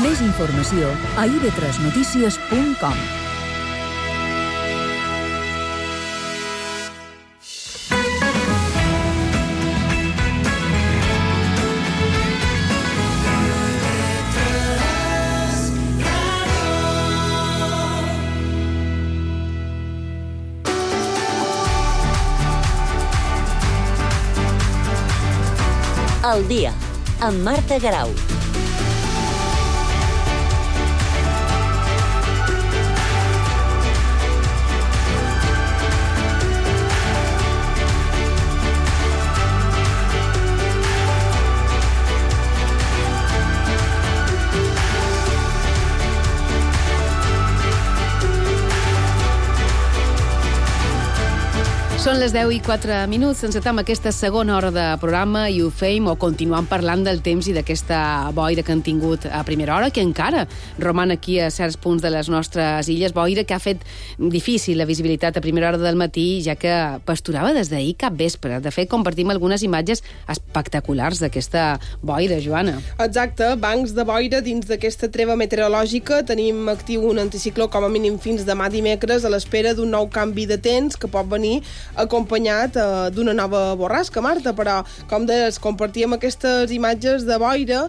Més informació a ib3notícies.com. Al dia, amb Marta Garau. Són les 10:04. Encetem aquesta segona hora de programa i ho feim o continuem parlant del temps i d'aquesta boira que han tingut a primera hora, que encara roman aquí a certs punts de les nostres illes. Boira que ha fet difícil la visibilitat a primera hora del matí, ja que pasturava des d'ahir cap vespre. De fet, compartim algunes imatges espectaculars d'aquesta boira, Joana. Exacte, bancs de boira dins d'aquesta treva meteorològica. Tenim actiu un anticicló com a mínim fins demà dimecres a l'espera d'un nou canvi de temps que pot venir acompanyat d'una nova borrasca, Marta, però, com deies, compartíem aquestes imatges de boira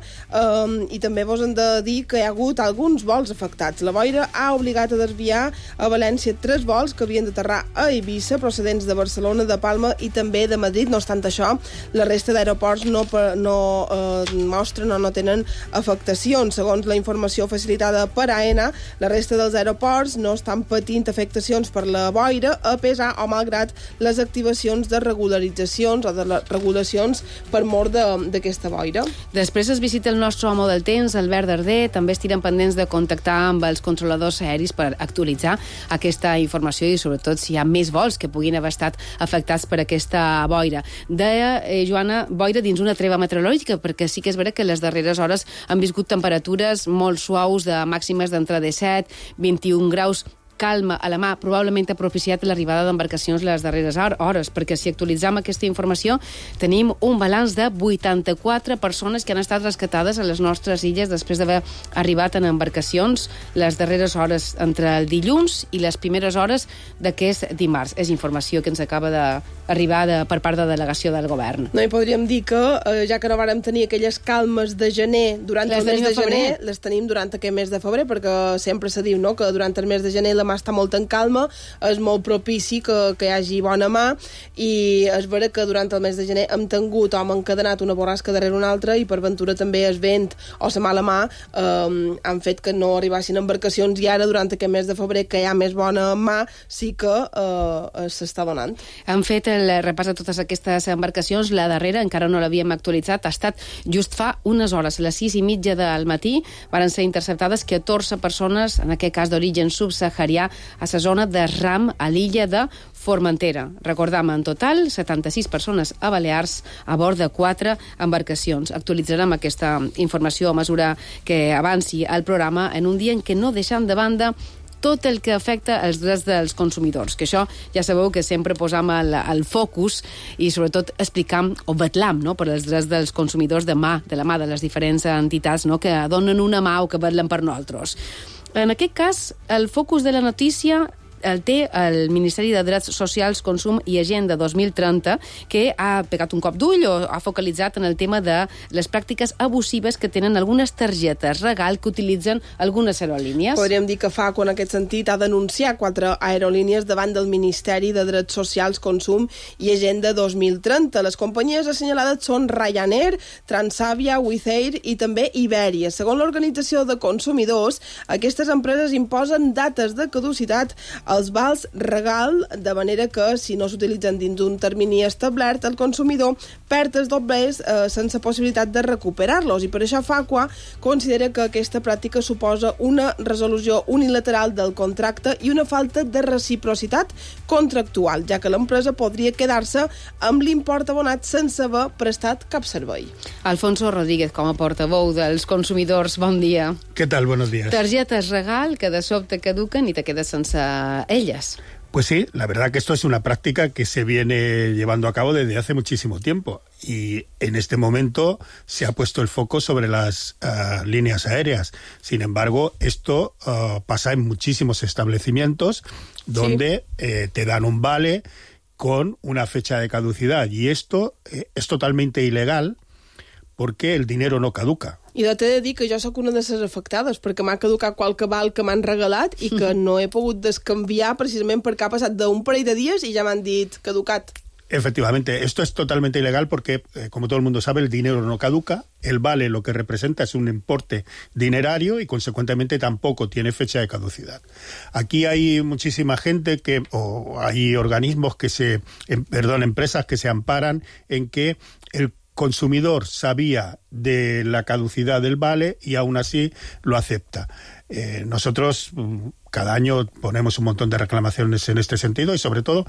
i també vos hem de dir que hi ha hagut alguns vols afectats. La boira ha obligat a desviar a València 3 vols que havien d'aterrar a Eivissa, procedents de Barcelona, de Palma i també de Madrid. No obstant això, la resta d'aeroports no mostren o no tenen afectacions. Segons la informació facilitada per AENA, la resta dels aeroports no estan patint afectacions per la boira, a pesar o malgrat les activacions de regularitzacions o de les regulacions per mort d'aquesta boira. Després es visita el nostre home del temps, Albert Darder. També estirem pendents de contactar amb els controladors aeris per actualitzar aquesta informació i sobretot si hi ha més vols que puguin haver estat afectats per aquesta boira. Deia, Joana, boira dins una treva meteorològica, perquè sí que és vera que les darreres hores han viscut temperatures molt suaus de màximes d'entre 17, 21 graus, calma a la mà, probablement ha propiciat l'arribada d'embarcacions les darreres hores, perquè si actualitzam aquesta informació tenim un balanç de 84 persones que han estat rescatades a les nostres illes després d'haver arribat en embarcacions les darreres hores entre el dilluns i les primeres hores d'aquest dimarts. És informació que ens acaba d'arribar per part de delegació del govern. No, i podríem dir que, ja que no vàrem tenir aquelles calmes de gener durant el mes de gener, les tenim durant aquest mes de febrer, perquè sempre se diu, no?, que durant el mes de gener la mà està molt en calma, és molt propici que hi hagi bona mà, i és vera que durant el mes de gener hem tingut o hem encadenat una borrasca darrere una altra i per ventura també el vent o la mala mà han fet que no arribassin embarcacions, i ara durant aquest mes de febrer que hi ha més bona mà sí que s'està donant. Han fet el repàs de totes aquestes embarcacions. La darrera encara no l'havíem actualitzat, ha estat just fa unes hores, a les 6:30 del matí van ser interceptades 14 persones, en aquest cas d'origen subsaharià, a la zona de Ram, a l'illa de Formentera. Recordam, en total, 76 persones a Balears a bord de 4 embarcacions. Actualitzarem aquesta informació a mesura que avanci el programa en un dia en què no deixem de banda tot el que afecta els drets dels consumidors, que això ja sabeu que sempre posam el focus i sobretot explicam o vetlam, no?, per als drets dels consumidors de la mà de les diferents entitats, no?, que donen una mà o que vetlen per nosaltres. En aquest cas, el focus de la notícia el té el Ministeri de Drets Socials, Consum i Agenda 2030, que ha pegat un cop d'ull o ha focalitzat en el tema de les pràctiques abusives que tenen algunes targetes regal que utilitzen algunes aerolínies. Podríem dir que FACO, en aquest sentit, ha denunciat 4 aerolínies davant del Ministeri de Drets Socials, Consum i Agenda 2030. Les companyies assenyalades són Ryanair, Transavia, Wizz Air i també Iberia. Segons l'Organització de Consumidors, aquestes empreses imposen dates de caducitat els vals regal, de manera que si no s'utilitzen dins d'un termini establert, el consumidor perd els doblers sense possibilitat de recuperar-los, i per això FACO considera que aquesta pràctica suposa una resolució unilateral del contracte i una falta de reciprocitat contractual, ja que l'empresa podria quedar-se amb l'import abonat sense haver prestat cap servei. Alfonso Rodríguez, com a portaveu dels consumidors, bon dia. ¿Qué tal? Buenos días. Targetes regal que de sobte caduquen i te quedes sense elles. Pues sí, la verdad que esto es una práctica que se viene llevando a cabo desde hace muchísimo tiempo y en este momento se ha puesto el foco sobre las líneas aéreas. Sin embargo, esto pasa en muchísimos establecimientos donde te dan un vale con una fecha de caducidad y esto és totalmente ilegal perquè el dinero no caduca. I t'he de dir que jo sóc una de les afectades, perquè m'ha caducat qualque val que m'han regalat i que no he pogut descanviar precisament perquè ha passat d'un parell de dies i ja m'han dit caducat. Efectivamente, esto es totalmente ilegal porque, como todo el mundo sabe, el dinero no caduca, el vale lo que representa es un importe dinerario y, consecuentemente, tampoco tiene fecha de caducidad. Aquí hay muchísima gente o hay organismos empresas que se amparan en que el consumidor sabía de la caducidad del vale y aún así lo acepta. Nosotros cada año ponemos un montón de reclamaciones en este sentido y sobre todo,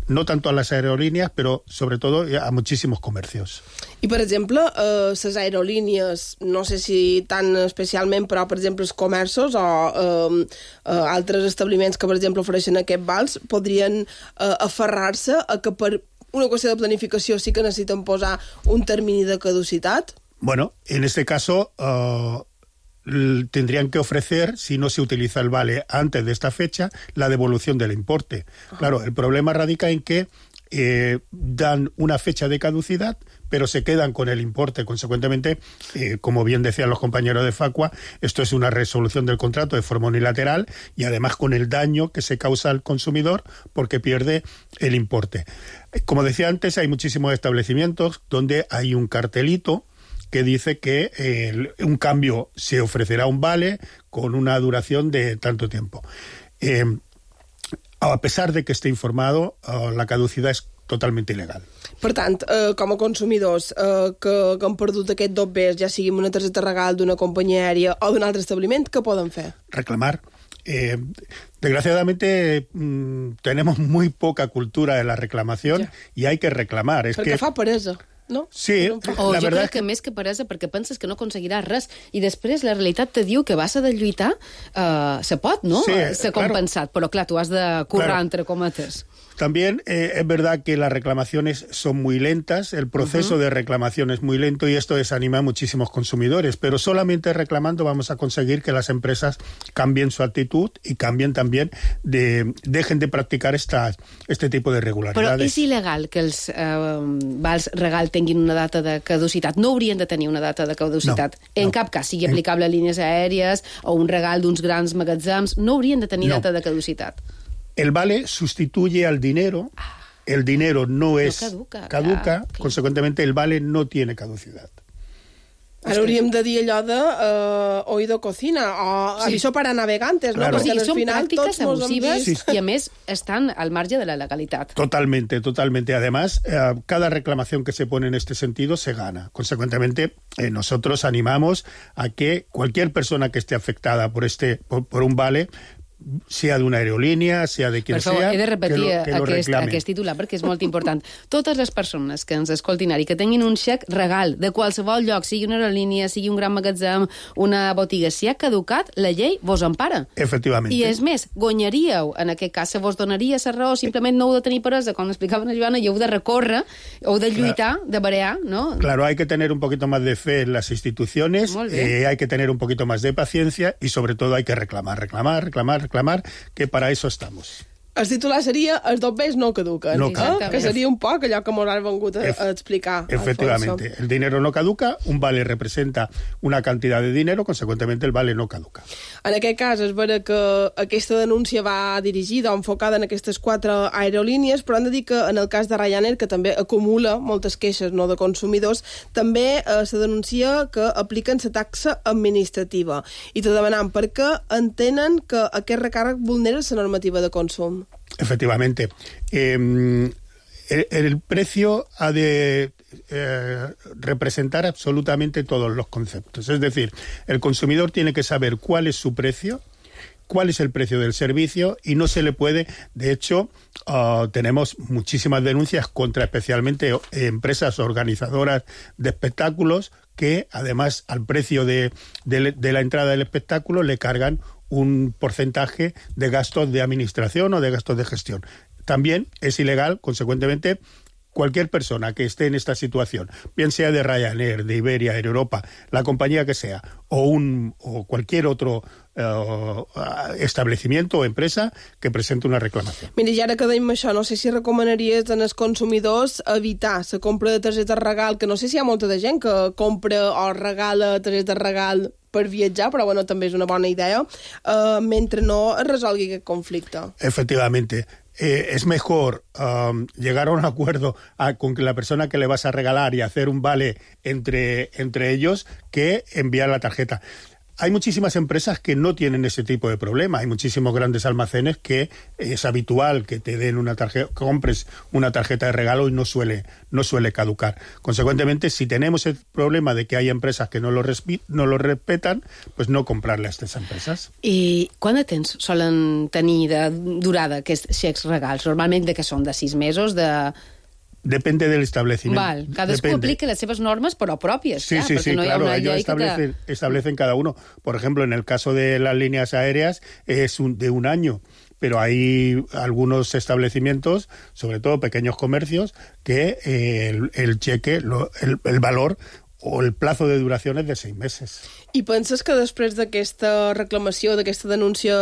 no tanto a las aerolíneas, pero sobre todo a muchísimos comercios. I, per exemple, les aerolínies, no sé si tan especialment, però, per exemple, els comerços o altres establiments que, per exemple, ofereixen aquests vals, podrien aferrar-se a que per una qüestió de planificació sí que necessiten posar un termini de caducitat? Bueno, en este caso tendrían que ofrecer, si no se utiliza el vale antes de esta fecha, la devolución del importe. Claro, el problema radica en que dan una fecha de caducidad, pero se quedan con el importe. Consecuentemente, como bien decían los compañeros de Facua, esto es una resolución del contrato de forma unilateral y además con el daño que se causa al consumidor porque pierde el importe. Como decía antes, hay muchísimos establecimientos donde hay un cartelito que dice que un cambio se ofrecerá un vale con una duración de tanto tiempo. A pesar de que esté informado, la caducidad és totalment il·legal. Per tant, com a consumidors que han perdut aquest dobbers, ja sigui una targeta regal d'una companyia aèria o d'un altre establiment, què poden fer? Reclamar. Desgraciadamente tenemos muy poca cultura de la reclamación y hay que reclamar. Perquè fa peresa. No? Sí, la jo crec que més que peresa perquè penses que no aconseguiràs res i després la realitat te diu que vas a de lluitar se pot, no? Sí, ser compensat, però clar, tu has de currar entre cometes. También es verdad que las reclamaciones son muy lentas, el proceso de reclamación es muy lento y esto desanima a muchísimos consumidores, pero solamente reclamando vamos a conseguir que las empresas cambien su actitud y cambien también, dejen de practicar este tipo de irregularidades. Però és il·legal que els vals regal tinguin una data de caducitat. No haurien de tenir una data de caducitat. En cap cas, sigui aplicable a línies aèries o un regal d'uns grans magatzems, no haurien de tenir data de caducitat. El vale sustituye al dinero, el dinero no es caduca, consecuentemente el vale no tiene caducidad. Ara hauríem de dir allò de oído cocina o aviso para navegantes, ¿no? Claro. Sí, són pràctiques abusives i a més estan al marge de la legalitat. Totalmente, totalmente. Además, cada reclamación que se pone en este sentido se gana. Consecuentemente, nosotros animamos a que cualquier persona que esté afectada por un vale, sea d'una aerolínia, sea de quien sea, he de repetir que lo reclame. aquest titular perquè és molt important. Totes les persones que ens escoltin ara i que tinguin un xec regal de qualsevol lloc, sigui una aerolínia, sigui un gran magatzem, una botiga, si ha caducat, la llei vos empara. Efectivament. I és més, guanyaríeu, en aquest cas, se vos donaria la raó, simplement no heu de tenir peresa, com explicaven a Joana, i heu de recórrer, heu de lluitar, de barear, ¿no? Claro, hay que tener un poquito más de fe en las instituciones, hay que tener un poquito más de paciencia y sobre todo hay que reclamar, que para eso estamos. El titular seria els dobbers no caduquen, no caduquen. Que seria un poc allò que m'ho han vengut a explicar. Efectivamente, Alfonso. el dinero no caduca, un vale representa una cantidad de dinero, consecuentemente el vale no caduca. En aquest cas és vera que aquesta denúncia va dirigida o enfocada en aquestes 4 aerolínies, però hem de dir que en el cas de Ryanair, que també acumula moltes queixes no de consumidors, també se denuncia que apliquen la taxa administrativa. I te demanam per què entenen que aquest recàrrec vulnera la normativa de consum. Efectivamente. El precio ha de representar absolutamente todos los conceptos. Es decir, el consumidor tiene que saber cuál es su precio, cuál es el precio del servicio y no se le puede... De hecho, tenemos muchísimas denuncias contra especialmente empresas organizadoras de espectáculos que además al precio de la entrada del espectáculo le cargan un porcentaje de gastos de administración o de gastos de gestión. También es ilegal, consecuentemente, cualquier persona que esté en esta situación, bien sea de Ryanair, de Iberia, Air Europa, la compañía que sea, o cualquier otro establecimiento o empresa que presente una reclamació. Mira, i ara que dèiem això, no sé si recomanaries als consumidors evitar la compra de targeta de regal, que no sé si hi ha molta de gent que compra o regala targeta de regal per viatjar, però bueno, també és una bona idea, mentre no es resolgui aquest conflicte. Efectivamente. Es mejor llegar a un acuerdo con la persona que le vas a regalar y hacer un vale entre ellos que enviar la tarjeta. Hay muchísimas empresas que no tienen ese tipo de problema. Hay muchísimos grandes almacenes que es habitual que te den una tarjeta, compres una tarjeta de regalo y no suele caducar. Consecuentemente, si tenemos el problema de que hay empresas que no lo respetan, pues no comprarle a estas empresas. I quant de temps solen tenir de durada aquests xecs regals? Normalment de què són? De 6 mesos? Depende del establecimiento. Val, cadascú aplica les seves normes, però pròpies. Sí, clar, sí, no claro, hi ha ellos establecen cada uno. Por ejemplo, en el caso de las líneas aéreas es de un año, pero hay algunos establecimientos, sobre todo pequeños comercios, que el cheque, el valor o el plazo de duración es de 6 meses. I penses que després d'aquesta reclamació, d'aquesta denúncia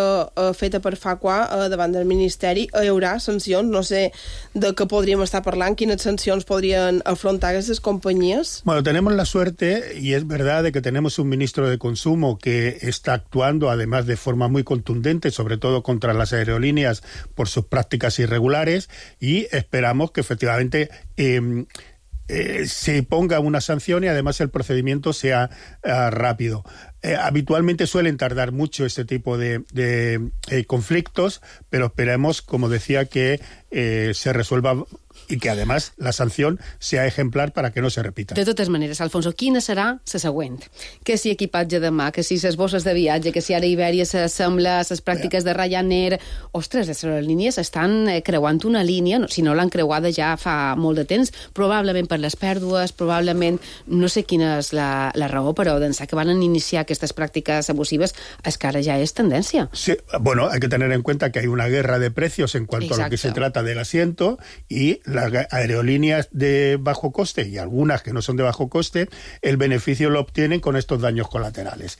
feta per Facua davant del Ministeri, hi haurà sancions? No sé de què podríem estar parlant, quines sancions podrien afrontar aquestes companyies? Bueno, tenemos la suerte, y es verdad, de que tenemos un ministro de Consumo que está actuando, además de forma muy contundente, sobre todo contra las aerolíneas por sus prácticas irregulares, y esperamos que efectivamente se ponga una sanción y además el procedimiento sea rápido. Habitualmente suelen tardar mucho este tipo de conflictos, pero esperemos, como decía, que se resuelva i que, además, la sanció sea ejemplar para que no se repita. De totes maneres, Alfonso, quina serà la següent? Que si equipatge de mà, que si les bosses de viatge, que si ara Ibèria s'assembla a les pràctiques de Ryanair... Ostres, les aerolínies estan creuant una línia, si no l'han creuada ja fa molt de temps, probablement per les pèrdues, probablement, no sé quina és la raó, però d'ençà que van iniciar aquestes pràctiques abusives, és que ara ja és tendència. Sí, bueno, hay que tener en cuenta que hay una guerra de precios en cuanto a lo que se trata del asiento, y las aerolíneas de bajo coste y algunas que no son de bajo coste, el beneficio lo obtienen con estos daños colaterales.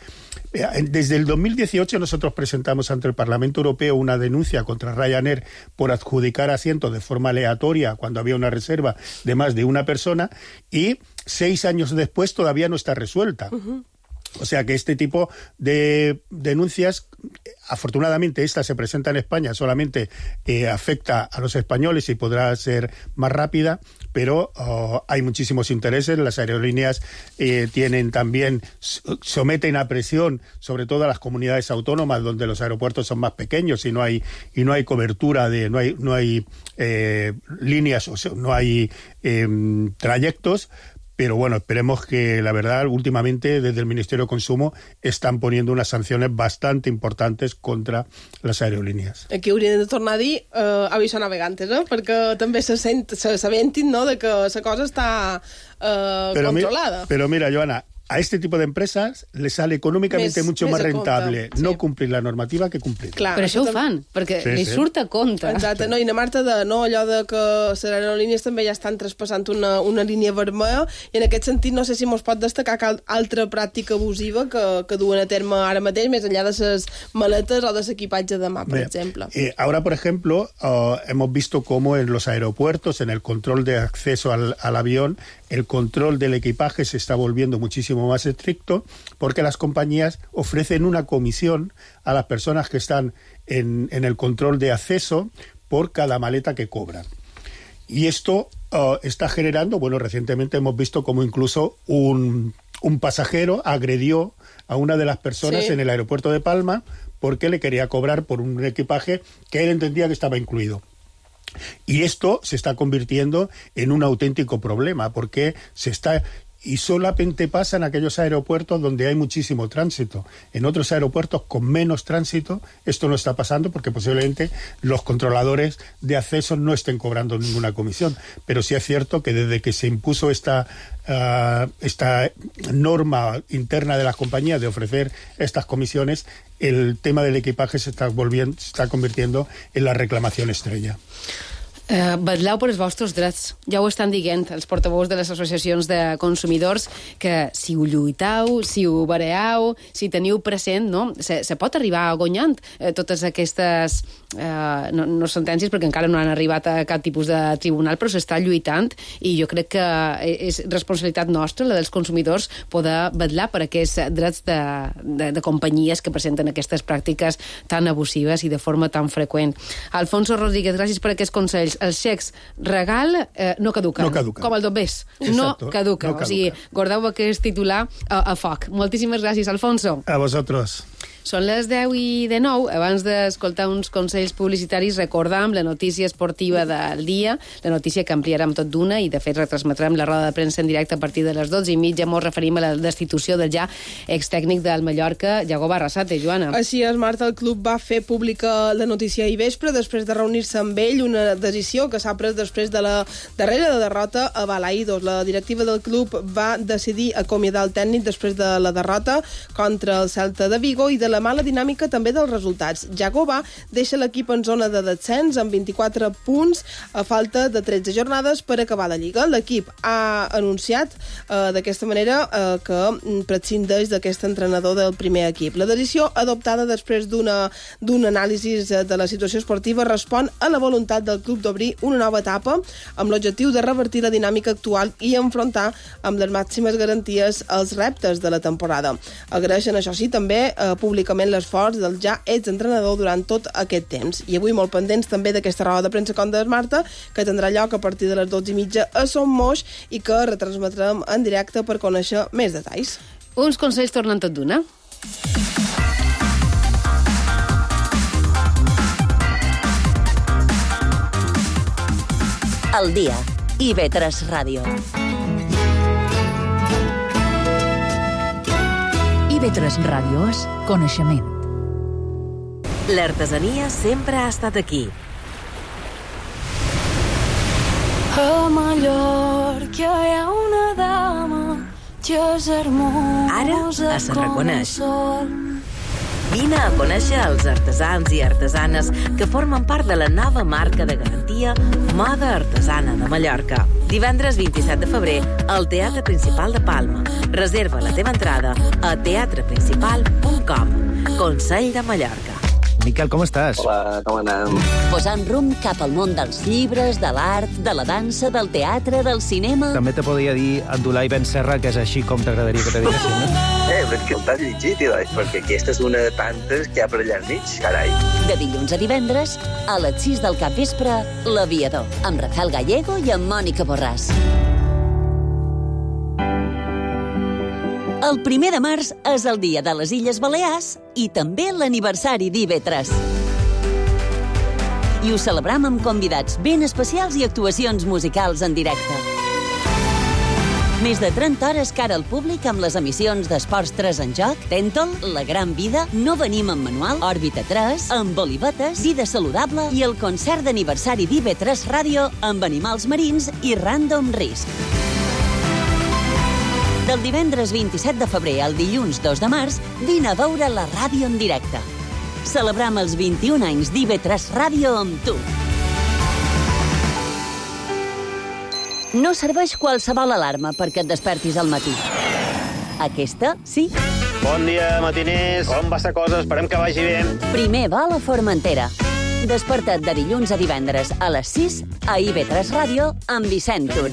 Desde el 2018 nosotros presentamos ante el Parlamento Europeo una denuncia contra Ryanair por adjudicar asientos de forma aleatoria cuando había una reserva de más de una persona, y 6 años después todavía no está resuelta. O sea que este tipo de denuncias, afortunadamente esta se presenta en España, solamente afecta a los españoles y podrá ser más rápida, pero hay muchísimos intereses. Las aerolíneas tienen también, someten a presión sobre todo a las comunidades autónomas donde los aeropuertos son más pequeños y no hay cobertura, no hay líneas, o sea, no hay trayectos. Pero bueno, esperemos que, la verdad, últimamente desde el Ministerio de Consumo están poniendo unas sanciones bastante importantes contra les aerolínies. Aquí haurien de tornar a dir aviso navegantes, perquè també s'aventin, no?, de que la cosa està controlada. Pero mira, Joana, a este tipo de empresas les sale econòmicamente mucho más rentable no cumplir la normativa que cumplir. Clar, però això ho fan, perquè li surt a compte. Exacte, no, i Marta, allò de que les aerolínies també ja estan traspassant una línia vermella, i en aquest sentit no sé si mos pot destacar altra pràctica abusiva que duen a terme ara mateix, més enllà de les maletes o de l'equipatge de mà, per exemple. Ahora, por ejemplo, hemos visto cómo en los aeropuertos, en el control de acceso al avión, el control del equipaje se está volviendo muchísimo más estricto, porque las compañías ofrecen una comisión a las personas que están en el control de acceso por cada maleta que cobran. Y esto está generando, bueno, recientemente hemos visto como incluso un pasajero agredió a una de las personas en el aeropuerto de Palma porque le quería cobrar por un equipaje que él entendía que estaba incluido. Y esto se está convirtiendo en un auténtico problema, porque se está y solamente pasa en aquellos aeropuertos donde hay muchísimo tránsito. En otros aeropuertos con menos tránsito esto no está pasando porque posiblemente los controladores de acceso no estén cobrando ninguna comisión. Pero sí es cierto que desde que se impuso esta norma interna de las compañías de ofrecer estas comisiones, el tema del equipaje se está convirtiendo en la reclamación estrella. Vetleu per els vostres drets. Ja ho estan dient els portaveus de les associacions de consumidors, que si ho lluiteu, si ho bareu, si teniu present, no? Se pot arribar guanyant totes aquestes no sentències, perquè encara no han arribat a cap tipus de tribunal, però s'està lluitant, i jo crec que és responsabilitat nostra, la dels consumidors, poder vetllar per aquests drets de companyies que presenten aquestes pràctiques tan abusives i de forma tan freqüent. Alfonso Rodríguez, gràcies per aquests consells. Els xecs regal no caduquen. No caduquen. Com el dobbers. No caduquen. O sigui, guardeu aquest titular a foc. Moltíssimes gràcies, Alfonso. A vosotros. Són les 10:09. Abans d'escoltar uns consells publicitaris, recordam la notícia esportiva del dia, la notícia que ampliarem tot d'una, i de fet retransmetrem la roda de premsa en directe a partir de les 12:30. Ens referim a la destitució del ja extècnic del Mallorca, Yago Barrasate. Joana. Així és, Marta, el club va fer pública la notícia ahir vespre, després de reunir-se amb ell, una decisió que s'ha pres després de la darrera derrota a Balaidos. La directiva del club va decidir acomiadar el tècnic després de la derrota contra el Celta de Vigo i de la mala dinàmica també dels resultats. Yagoba deixa l'equip en zona de descens amb 24 punts a falta de 13 jornades per acabar la Lliga. L'equip ha anunciat d'aquesta manera que prescindeix d'aquest entrenador del primer equip. La decisió adoptada després d'un anàlisi de la situació esportiva respon a la voluntat del club d'obrir una nova etapa amb l'objectiu de revertir la dinàmica actual i enfrontar amb les màximes garanties els reptes de la temporada. Agraeixen, això sí, també públicament l'esforç del ja exentrenador durant tot aquest temps. I avui molt pendents també d'aquesta roda de premsa com des Marta, que tindrà lloc a partir de les 12:30 a Son Moix i que retransmetrem en directe per conèixer més detalls. Uns consells tornen tot d'una. El dia. IB3 Ràdio. IB3 Ràdio és coneixement. L'artesania sempre ha estat aquí. A Mallorca hi ha una dama que és hermosa. Ara es reconeix. Vine a conèixer els artesans i artesanes que formen part de la nova marca de garantia Moda Artesana de Mallorca. Divendres 27 de febrer al Teatre Principal de Palma. Reserva la teva entrada a teatreprincipal.com. Consell de Mallorca. Miquel, com estàs? Hola, com anem? Posant rumb cap al món dels llibres, de l'art, de la dansa, del teatre, del cinema... També te podria dir Abdulai Ben Serra, que és així com t'agradaria que te diguessin, no? Però és que t'has llegit, perquè aquesta és una de tantes que hi ha per allà al mig, carai. De dilluns a divendres, a les 6 del capvespre, L'Aviador, amb Rafael Gallego i amb Mònica Borràs. El 1 de març és el dia de les Illes Balears i també l'aniversari d'IB3. I ho celebrem amb convidats ben especials i actuacions musicals en directe. Més de 30 hores cara al públic amb les emissions d'Esports 3 en joc, Tèntol, La Gran Vida, No venim en manual, Òrbita 3, amb Olivetes, Vida Saludable i el concert d'aniversari d'IB3 Ràdio amb animals marins i Random Risk. Del divendres 27 de febrer al dilluns 2 de març, vine a veure la ràdio en directe. Celebrem els 21 anys d'IB3 Ràdio amb tu. No serveix qualsevol alarma perquè et despertis al matí. Aquesta, sí. Bon dia, matiners. Com va la cosa? Esperem que vagi bé. Primer va a la Formentera. Desperta't de dilluns a divendres a les 6 a IB3 Ràdio amb Vicent Tur.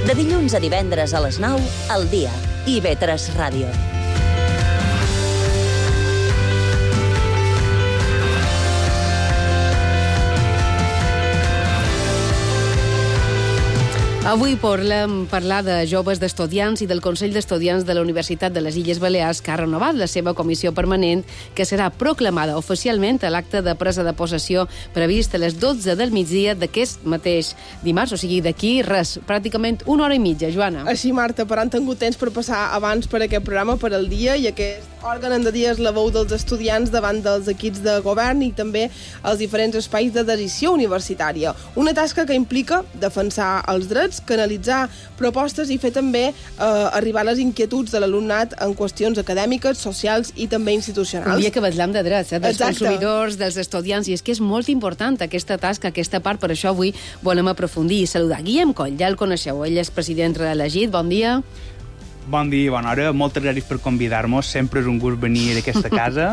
De dilluns a divendres a les 9, al dia, IB3 Ràdio. Avui volem parlar de joves d'estudiants i del Consell d'Estudiants de la Universitat de les Illes Balears, que ha renovat la seva comissió permanent, que serà proclamada oficialment a l'acte de presa de possessió previst a les 12 del migdia d'aquest mateix dimarts, o sigui, d'aquí res, pràcticament una hora i mitja, Joana. Així, Marta, però han tingut temps per passar abans per aquest programa, per al dia, i aquest òrgan en de dia és la veu dels estudiants davant dels equips de govern i també els diferents espais de decisió universitària. Una tasca que implica defensar els drets, canalitzar propostes i fer també arribar les inquietuds de l'alumnat en qüestions acadèmiques, socials i també institucionals. Un dia que parlem de drets, dels Exacte. consumidors, dels estudiants, i és que és molt important aquesta tasca, aquesta part, per això avui volem aprofundir i saludar Guillem Coll, ja el coneixeu, ell és president reelegit, bon dia. Bon dia, bona hora. Moltes gràcies per convidar-nos. Sempre és un gust venir a aquesta casa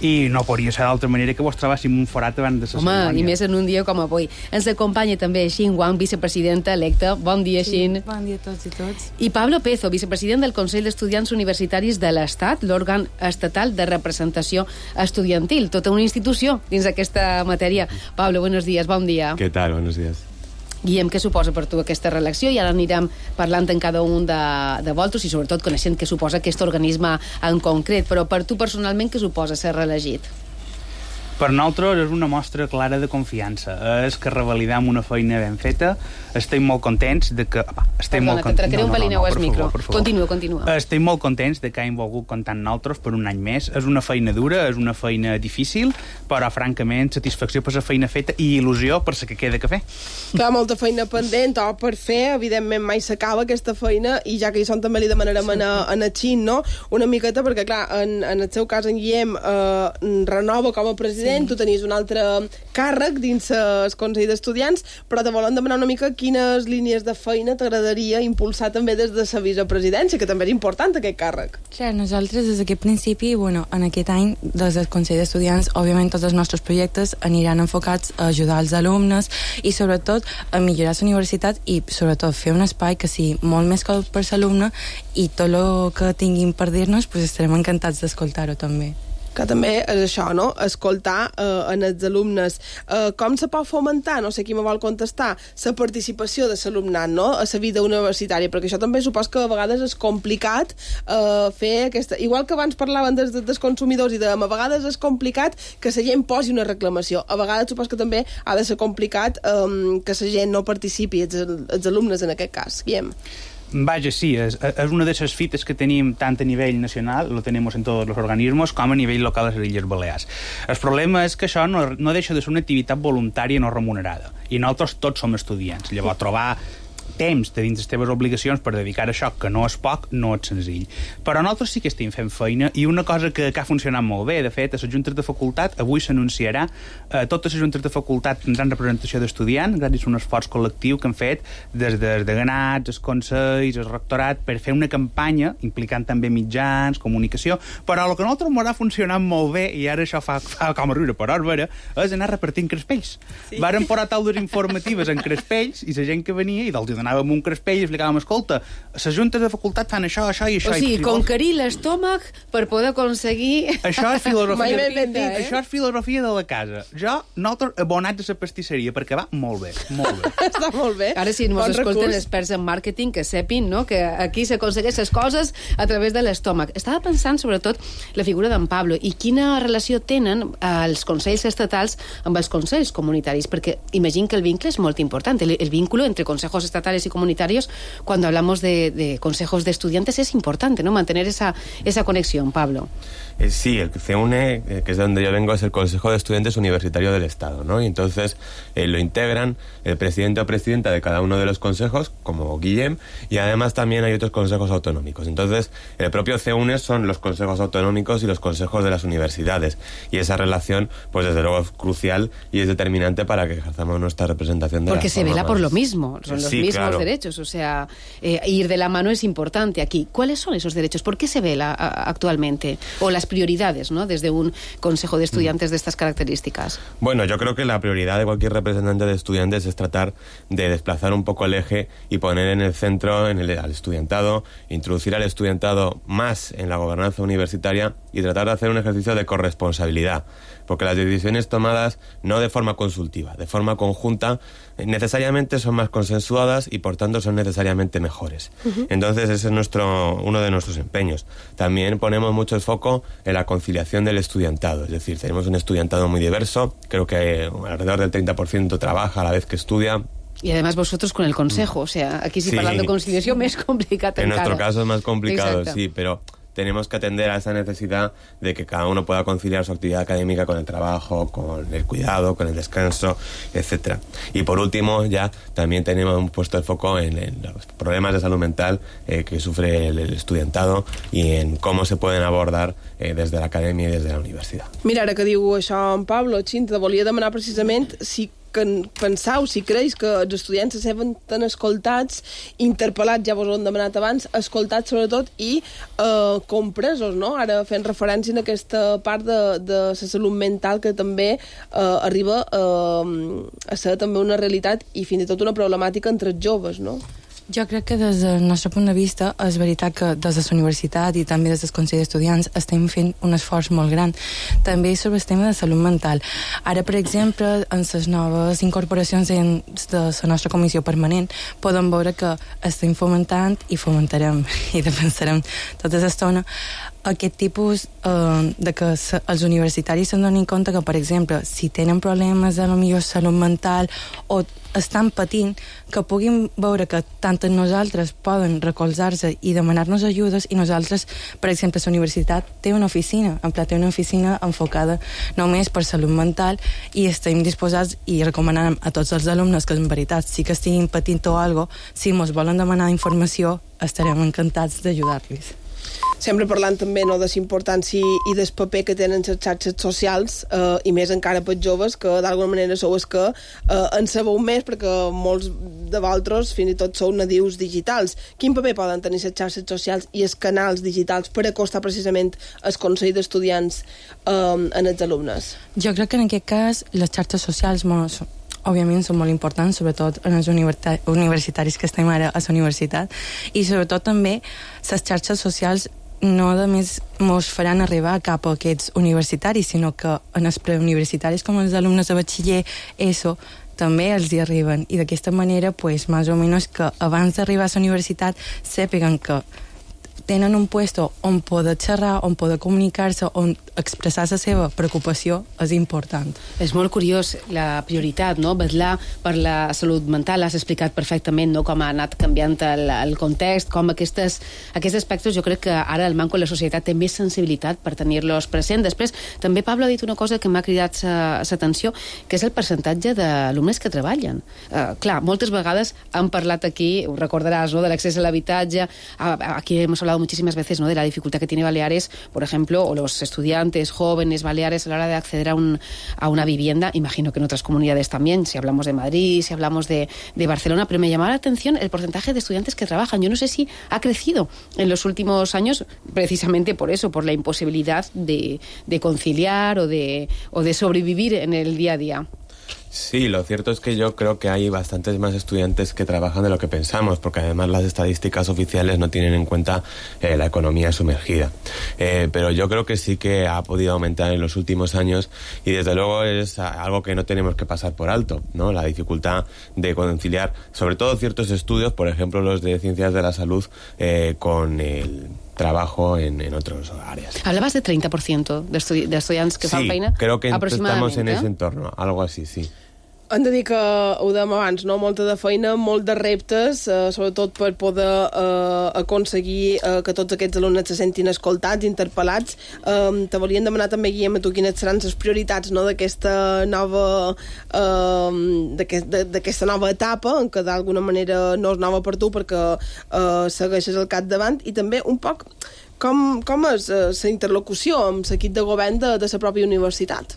i no podria ser d'altra manera que vos trobàssim un forat abans de la cerimònia. Home, i més en un dia com avui. Ens acompanya també Xin Wang, vicepresidenta electa. Bon dia, Xin. Bon dia a tots i tots. I Pablo Pezo, vicepresident del Consell d'Estudiants Universitaris de l'Estat, l'òrgan estatal de representació estudiantil, tota una institució dins aquesta matèria. Pablo, buenos días, bon dia. ¿Qué tal? Buenos días. Guillem, què suposa per tu aquesta reelecció? I ara anirem parlant en cada un de vosaltres i sobretot coneixent què suposa aquest organisme en concret. Però per tu personalment, què suposa ser reelegit? Per nosaltres és una mostra clara de confiança. És que revalidam una feina ben feta. Estem molt contents de que... Perdona, que tractaré un pelineu al micro. Continua. Estem molt contents de que hagin volgut comptar amb nosaltres per un any més. És una feina dura, és una feina difícil, però francament satisfacció per la feina feta i il·lusió per la que queda que fer. Clar, molta feina pendent o per fer, evidentment mai s'acaba aquesta feina, i ja que hi són també li demanarem a Xin, no? Una miqueta, perquè clar, en el seu cas en Guillem renova com a president, tu tenies un altre càrrec dins el Consell d'Estudiants, però te volem demanar una mica quines línies de feina t'agradaria impulsar també des de la vicepresidència, que també és important aquest càrrec. Clar, nosaltres des d'aquest principi, en aquest any, des del Consell d'Estudiants, òbviament tots els nostres projectes aniran enfocats a ajudar els alumnes i sobretot a millorar la universitat i sobretot fer un espai que sigui molt més còmode per l'alumne, i tot el que tinguin per dir-nos estarem encantats d'escoltar-ho també. Que també és això, no? Escoltar en els alumnes. Com se pot fomentar, no sé qui me vol contestar, la participació de l'alumnat, no?, a la vida universitària, perquè això també supos que a vegades és complicat fer aquesta... Igual que abans parlaven dels consumidors i a vegades és complicat que la gent posi una reclamació. A vegades supos que també ha de ser complicat que la gent no participi, els alumnes en aquest cas. Guillem. Vaja, sí, és una de les fites que tenim tant a nivell nacional, lo tenemos en tots els organismes, com a nivell local a les Illes Balears. El problema és que això no deixa de ser una activitat voluntària no remunerada, i nosaltres tots som estudiants. Llavors, trobar temps de dins les teves obligacions per dedicar a això, que no és poc, no és senzill. Però nosaltres sí que estem fent feina, i una cosa que ha funcionat molt bé, de fet, a les juntes de facultat, avui s'anunciarà, totes les juntes de facultat tindran representació d'estudiants, gràcies a un esforç col·lectiu que han fet des dels deganats, els consells, el rectorat, per fer una campanya implicant també mitjans, comunicació, però el que a nosaltres m'ha funcionat molt bé, i ara això fa com a riure per Òrbera, és anar repartint crespells. Sí. Varen posar taules informatives en crespells, i la gent que venia, i dels anàvem un crespell i explicàvem, escolta, les juntes de facultat fan això i això. O sigui, conquerir l'estómac per poder aconseguir... Això és filosofia. Això és filosofia de la casa. Nosaltres abonats a la pastisseria, perquè va molt bé, molt bé. Està molt bé. Ara sí, ens escolten experts en màrqueting que sepin, no?, que aquí s'aconsegueix les coses a través de l'estómac. Estava pensant, sobretot, la figura d'en Pablo i quina relació tenen els consells estatals amb els consells comunitaris, perquè imagino que el vincle és molt important. El vínculo entre consejos estatales y comunitarios, cuando hablamos de consejos de estudiantes, es importante, ¿no?, mantener esa conexión, Pablo. Sí, el CEUNE, que es de donde yo vengo, es el Consejo de Estudiantes Universitario del Estado, ¿no? Y entonces lo integran el presidente o presidenta de cada uno de los consejos, como Guillem, y además también hay otros consejos autonómicos. Entonces, el propio CEUNE son los consejos autonómicos y los consejos de las universidades, y esa relación, pues desde luego es crucial y es determinante para que ejerzamos nuestra representación de porque se vela por lo mismo, son los mismos claro. derechos, o sea, ir de la mano es importante aquí. ¿Cuáles son esos derechos? ¿Por qué se vela actualmente? O las prioridades, ¿no?, desde un consejo de estudiantes de estas características. Bueno, yo creo que la prioridad de cualquier representante de estudiantes es tratar de desplazar un poco el eje y poner en el centro al estudiantado, introducir al estudiantado más en la gobernanza universitaria y tratar de hacer un ejercicio de corresponsabilidad, porque las decisiones tomadas no de forma consultiva, de forma conjunta, necesariamente son más consensuadas nuevas y por tanto son necesariamente mejores. Entonces ese es uno de nuestros empeños. También ponemos mucho el foco en la conciliación del estudiantado, es decir, tenemos un estudiantado muy diverso, creo que alrededor del 30% trabaja a la vez que estudia. Y además vosotros con el consejo, o sea, aquí sí parlant de conciliació més complicat encara. En nuestro caso es más complicado, Exacto. sí, pero tenemos que atender a esa necesidad de que cada uno pueda conciliar su actividad académica con el trabajo, con el cuidado, con el descanso, etcétera. Y por último, ya también tenemos puesto el foco en los problemas de salud mental que sufre el estudiantado y en cómo se pueden abordar desde la academia y desde la universidad. Mira, ara que diu això en Pablo, Xinta, volia demanar precisament si penseu, si creus que els estudiants se senten tan escoltats, interpel·lats, ja vos ho hem demanat abans, escoltats sobretot i compresos, no? Ara fent referència a aquesta part de la salut mental que també arriba a ser també una realitat i fins i tot una problemàtica entre els joves, no? Jo crec que des del nostre punt de vista és veritat que des de la universitat i també des del Consell d'Estudiants estem fent un esforç molt gran també sobre el tema de salut mental. Ara, per exemple, en les noves incorporacions de la nostra comissió permanent podem veure que estem fomentant i fomentarem i defensarem tota l'estona aquest tipus de que els universitaris se'n donin compte que, per exemple, si tenen problemes de la millor salut mental o estan patint, que puguin veure que tant nosaltres poden recolzar-se i demanar-nos ajudes i nosaltres, per exemple, la universitat té una oficina, té una oficina enfocada només per salut mental i estem disposats i recomanant a tots els alumnes que en veritat sí que estiguin patint o alguna cosa, si ens volen demanar informació estarem encantats d'ajudar-los. Sempre parlant també de la importància i del paper que tenen les xarxes socials i més encara per joves que d'alguna manera sou els que en sabeu més perquè molts de vosaltres fins i tot sou nadius digitals. Quin paper poden tenir les xarxes socials i els canals digitals per acostar precisament el Consell d'Estudiants en els alumnes? Jo crec que en aquest cas les xarxes socials òbviament són molt importants, sobretot en els universitaris que estem ara a la universitat, i sobretot també les xarxes socials no només ens faran arribar cap a aquests universitaris, sinó que en els preuniversitaris com els alumnes de batxiller, ESO, també els hi arriben. I d'aquesta manera, més o menys que abans d'arribar a la universitat sàpiguen que tenen un puesto on poder xerrar, on poder comunicar-se, on expressar la seva preocupació és important. És molt curiós la prioritat, no? Vetllar per la salut mental. Has explicat perfectament, no?, com ha anat canviant el context, com aquests aspectes jo crec que ara el manco de la societat té més sensibilitat per tenir-los present. Després, també Pablo ha dit una cosa que m'ha cridat l'atenció, que és el percentatge d'alumnes que treballen. Clar, moltes vegades han parlat aquí, ho recordaràs, ¿no?, de l'accés a l'habitatge. Aquí hemos hablado muchísimas veces, ¿no?, de la dificultad que tiene Baleares, por ejemplo, o los estudiantes jóvenes baleares a la hora de acceder a una vivienda. Imagino que en otras comunidades también, si hablamos de Madrid, si hablamos de Barcelona, pero me llamaba la atención el porcentaje de estudiantes que trabajan. Yo no sé si ha crecido en los últimos años precisamente por eso, por la imposibilidad de conciliar o de sobrevivir en el día a día. Sí, lo cierto es que yo creo que hay bastantes más estudiantes que trabajan de lo que pensamos, porque además las estadísticas oficiales no tienen en cuenta la economía sumergida. Pero yo creo que sí que ha podido aumentar en los últimos años y desde luego es algo que no tenemos que pasar por alto, ¿no? La dificultad de conciliar, sobre todo ciertos estudios, por ejemplo los de ciencias de la salud, con el trabajo en otras áreas. Hablabas de 30% de estudiants que fan feina? Sí, creo que estamos en ese entorno, algo así, sí. Hem de dir que, ho dèiem abans, no? Molta de feina, molt de reptes, sobretot per poder aconseguir que tots aquests alumnes se sentin escoltats, interpel·lats. Te volíem demanar també, Guillem, a tu quines seran les prioritats, no?, d'aquesta nova etapa, en què d'alguna manera no és nova per tu perquè segueixes al capdavant, i també un poc com és la interlocució amb l'equip de govern de la pròpia universitat.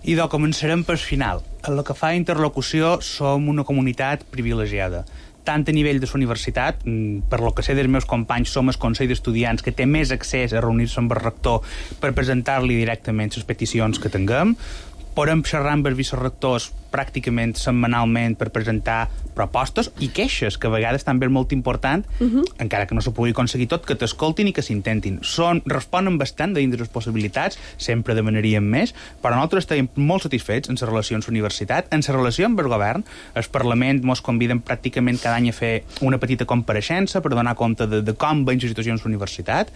Idò, començarem pel final. En el que fa a interlocució som una comunitat privilegiada. Tant a nivell de la universitat, per lo que sé dels meus companys, som el Consell d'Estudiants que té més accés a reunir-se amb el rector per presentar-li directament les peticions que tinguem. Podem xerrar amb els vicerectors pràcticament setmanalment per presentar propostes i queixes, que a vegades també és molt important, encara que no s'ho pugui aconseguir tot, que t'escoltin i que s'intentin. Responen bastant dins de les possibilitats, sempre demanaríem més, però nosaltres estem molt satisfets en les relacions universitat, en la relació amb el govern. El Parlament ens conviden pràcticament cada any a fer una petita compareixença per donar compte de com veiem la situació en la universitat,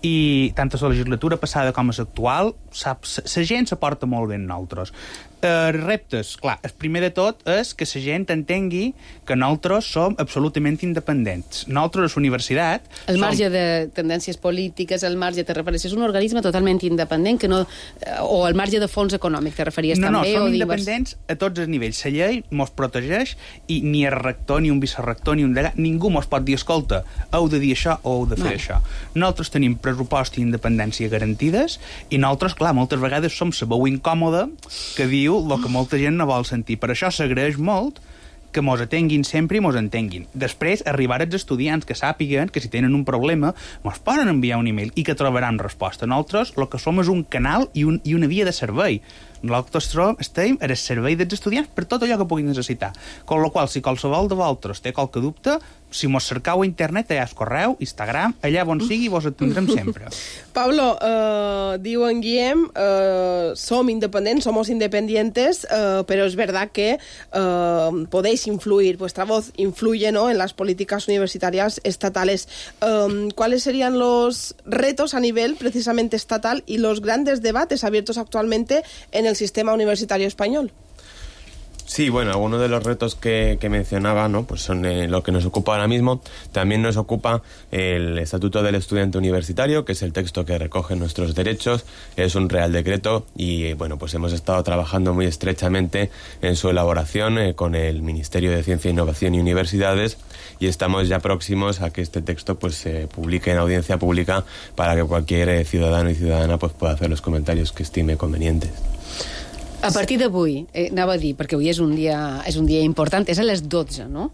i tant a la legislatura passada com a l'actual, la gent s'aporta molt bé en nosaltres. Reptes, clar, el primer de tot és que la gent entengui que nosaltres som absolutament independents. Nosaltres, la universitat... El marge de tendències polítiques, el marge, te refereixes, és un organisme totalment independent, que no, o el marge de fons econòmic, te referies també? No, som independents a tots els nivells. La llei mos protegeix i ni el rector, ni un vicerector, ni un degà, ningú mos pot dir, escolta, heu de dir això o heu de fer això. Nosaltres tenim pressupost i independència garantides i nosaltres, clar, moltes vegades som la veu incòmoda que diu el que molta gent no vol sentir. Per això s'agraeix molt que mos atenguin sempre i mos entenguin. Després, arribar als estudiants que sàpiguen que si tenen un problema mos poden enviar un email i que trobaran resposta. Nosaltres el que som és un canal i una via de servei. Nosaltres estem al servei dels estudiants per tot allò que puguin necessitar. Con la qual, si qualsevol de vosaltres té qualque dubte, si mos cercau a internet, allà és correu, Instagram, allà on sigui, vos atendrem sempre. Pablo, diu en Guillem, som independents, somos independientes, pero es verdad que podéis influir, vuestra voz influye, ¿no?, en las políticas universitarias estatales. ¿Cuáles serían los retos a nivel precisamente estatal y los grandes debates abiertos actualmente en el sistema universitario español? Sí, bueno, algunos de los retos que mencionaba, ¿no?, pues son lo que nos ocupa ahora mismo. También nos ocupa el Estatuto del Estudiante Universitario, que es el texto que recoge nuestros derechos. Es un real decreto y, bueno, pues hemos estado trabajando muy estrechamente en su elaboración con el Ministerio de Ciencia, Innovación y Universidades, y estamos ya próximos a que este texto pues se publique en audiencia pública para que cualquier ciudadano y ciudadana pues pueda hacer los comentarios que estime convenientes. A partir d'avui, anava a dir, perquè avui és un dia important, és a les 12, no?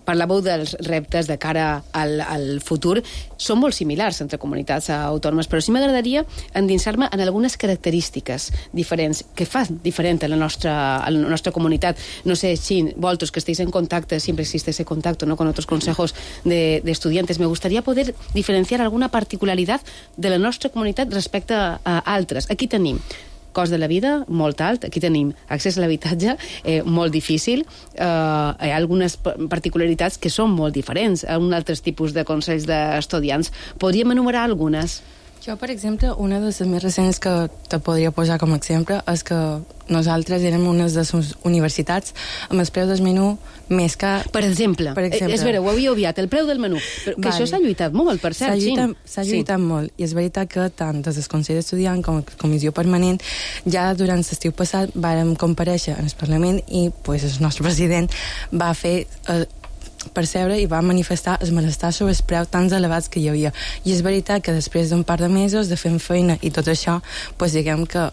Parlàveu dels reptes de cara al futur. Són molt similars entre comunitats autònomes, però sí m'agradaria endinsar-me en algunes característiques diferents, que fan diferent a la nostra comunitat. No sé si vosotros que estéis en contacto, siempre existe ese contacto, ¿no?, con otros consejos de estudiantes, me gustaría poder diferenciar alguna particularidad de la nostra comunitat respecte a altres. Aquí tenim cost de la vida molt alt, aquí tenim accés a l'habitatge molt difícil, hi ha algunes particularitats que són molt diferents a un altres tipus de consells d'estudiants. Podríem enumerar algunes? Jo, per exemple, una de les més recents que te podria posar com a exemple és que nosaltres érem una de les universitats amb el preu del menú més car. Per exemple. És vera, ho havia obviat, el preu del menú. Però que això s'ha lluitat molt, per cert. S'ha lluitat molt, i és veritat que tant des del Consell d'Estudiant com la Comissió Permanent ja durant l'estiu passat vàrem comparèixer en el Parlament i pues, el nostre president va fer percebre i va manifestar el malestar sobre els preus tan elevats que hi havia. I és veritat que després d'un par de mesos de fent feina i tot això, pues, diguem que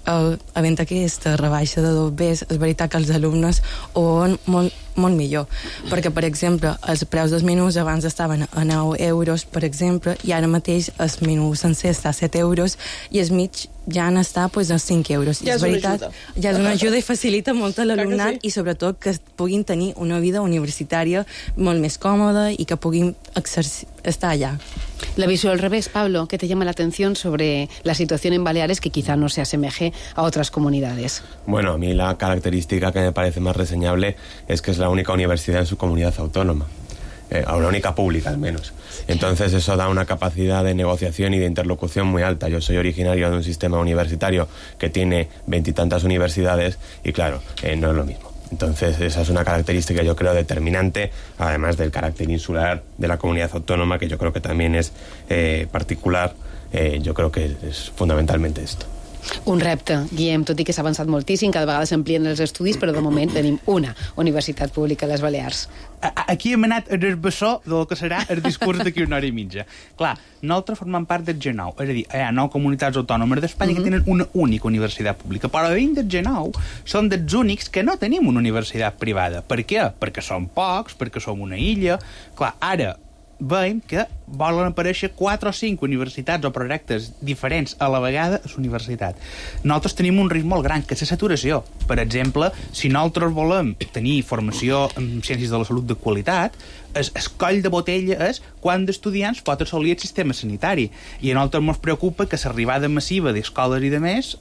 havent aquesta rebaixa de 2 Bs, és veritat que els alumnes ho veuen molt millor, perquè, per exemple, els preus dels menús abans estaven a 9 euros, per exemple, i ara mateix el menú sencer està a 7 euros i el mig ja n'està pues, a 5 euros. Ja és una ajuda. Ja és una ajuda i facilita molt a l'alumnat i sobretot que puguin tenir una vida universitària molt més còmoda i que puguin estar allà. La visión al revés, Pablo, ¿qué te llama la atención sobre la situación en Baleares que quizá no se asemeje a otras comunidades? Bueno, a mí la característica que me parece más reseñable es que es la única universidad en su comunidad autónoma. La única pública al menos. Entonces eso da una capacidad de negociación y de interlocución muy alta. Yo soy originario de un sistema universitario que tiene 20 y tantas universidades y claro, no es lo mismo. Entonces esa es una característica yo creo determinante, además del carácter insular de la comunidad autónoma, que yo creo que también es particular, yo creo que es fundamentalmente esto. Un repte, Guillem, tot i que s'ha avançat moltíssim, cada vegada s'amplien els estudis, però de moment tenim una universitat pública a les Balears. Aquí hem anat en el bessó del que serà el discurs d'aquí una hora i mitja. Clar, nosaltres formem part del G9, és a dir, hi ha 9 comunitats autònomes d'Espanya que tenen una única universitat pública, però dins del G9 són dels únics que no tenim una universitat privada. Per què? Perquè som pocs, perquè som una illa. Clar, ara veiem que volen aparèixer 4 o 5 universitats o projectes diferents a la vegada a la universitat. Nosaltres tenim un risc molt gran, que és la saturació. Per exemple, si nosaltres volem tenir formació en ciències de la salut de qualitat, el coll de botella és quant d'estudiants pot assolir el sistema sanitari. I a nosaltres ens preocupa que l'arribada massiva d'escoles i de més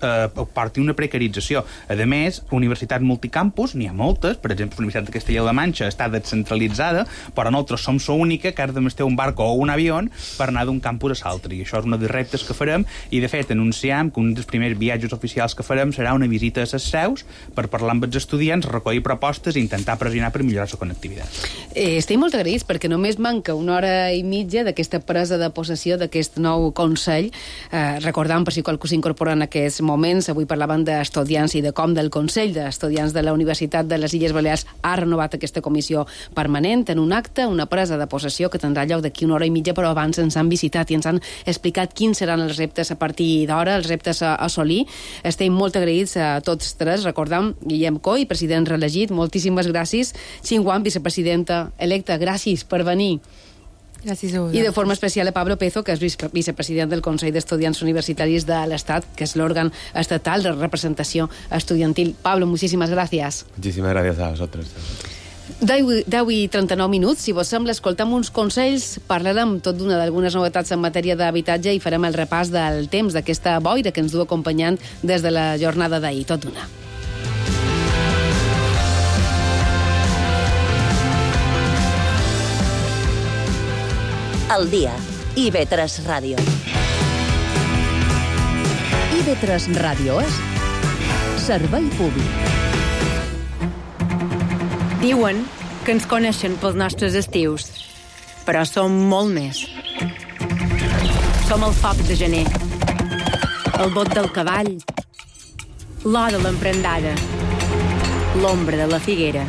porti una precarització. A més, universitats multicampus, n'hi ha moltes, per exemple, la Universitat de Castella de la Manxa està descentralitzada, però nosaltres som l'única que has de ter un barco o un avió per anar d'un campus a l'altre. I això és un dels reptes que farem, i de fet anunciam que un dels primers viatges oficials que farem serà una visita a les seus per parlar amb els estudiants, recollir propostes i intentar pressionar per millorar la connectivitat. Estic molt agraïts perquè només manca una hora i mitja d'aquesta presa de possessió d'aquest nou Consell. Recordant, per si qualcú s'incorpora en aquests moments, avui parlaven d'estudiants i de com del Consell d'Estudiants de la Universitat de les Illes Balears ha renovat aquesta comissió permanent en un acte, una presa de possessió que tindrà lloc d'aquí una hora i mitja, però abans ens han visitat i ens han explicat quins seran els reptes a partir d'ara, els reptes a assolir. Estem molt agraïts a tots tres. Recordam, Guillem Coll, president reelegit, moltíssimes gràcies. Xinguan, vicepresidenta electa, gràcies per venir. Gràcies a vosaltres. I de forma especial a Pablo Pezo, que és vicepresident del Consell d'Estudiants Universitaris de l'Estat, que es l'òrgan estatal de representació estudiantil. Pablo, muchísimas gracias. Muchísimas gracias a vosotros. 10 i 39 minuts. Si vos sembla, escoltem uns consells, parlarem tot d'algunes novetats en matèria d'habitatge i farem el repàs del temps d'aquesta boira que ens du acompanyant des de la jornada d'ahir. Tot d'una. Al dia. IB3 Ràdio. IB3 Ràdio és servei públic. Diuen que ens coneixen pels nostres estius, però som molt més. Som el foc de gener, el bot del cavall, l'or de l'emprendada, l'ombra de la figuera.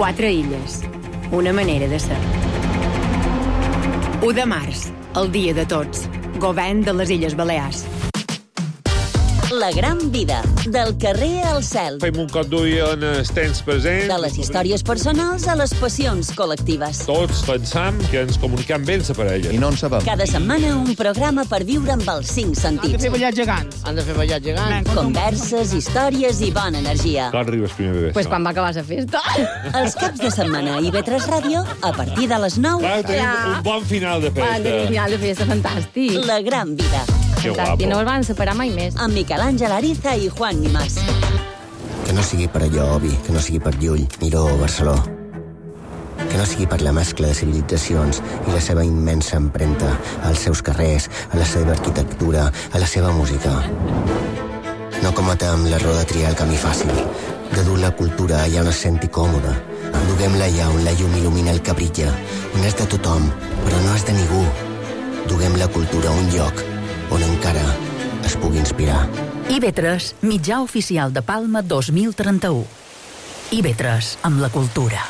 4 illes, una manera de ser. 1 de març, el dia de tots. Govern de les Illes Balears. La gran vida, del carrer al cel. Fem un cop d'ull en els temps presents. De les històries personals a les passions col·lectives. Tots pensam que ens comunicam bé amb la parella. I no en sabem. Cada setmana un programa per viure amb els 5 sentits. Han de fer ballar gegants. Han de fer ballar gegants. Converses, històries i bona energia. Quan arribes primer de Pues quan va acabar la festa. Els caps de setmana a IB3 Ràdio, a partir de les 9. Clar, tenim un bon final de festa. Tenim un final de festa fantàstic. La gran vida. Que guapo. I no el van separar mai més. Amb Miquel Àngel Ariza i Juan Nimás. Que no sigui per allò, Obi, que no sigui per Llull, Miró o Barceló. Que no sigui per la mescla de civilitzacions i la seva immensa empremta als seus carrers, a la seva arquitectura, a la seva música. No cometem l'error de triar el camí fàcil, de dur la cultura allà on es senti còmode. Duguem-la allà on la llum il·lumina el que brilla, on és de tothom, però no és de ningú. Duguem la cultura a un lloc on encara es pugui inspirar. IB3, mitjà oficial de Palma 2031. IB3, amb la cultura.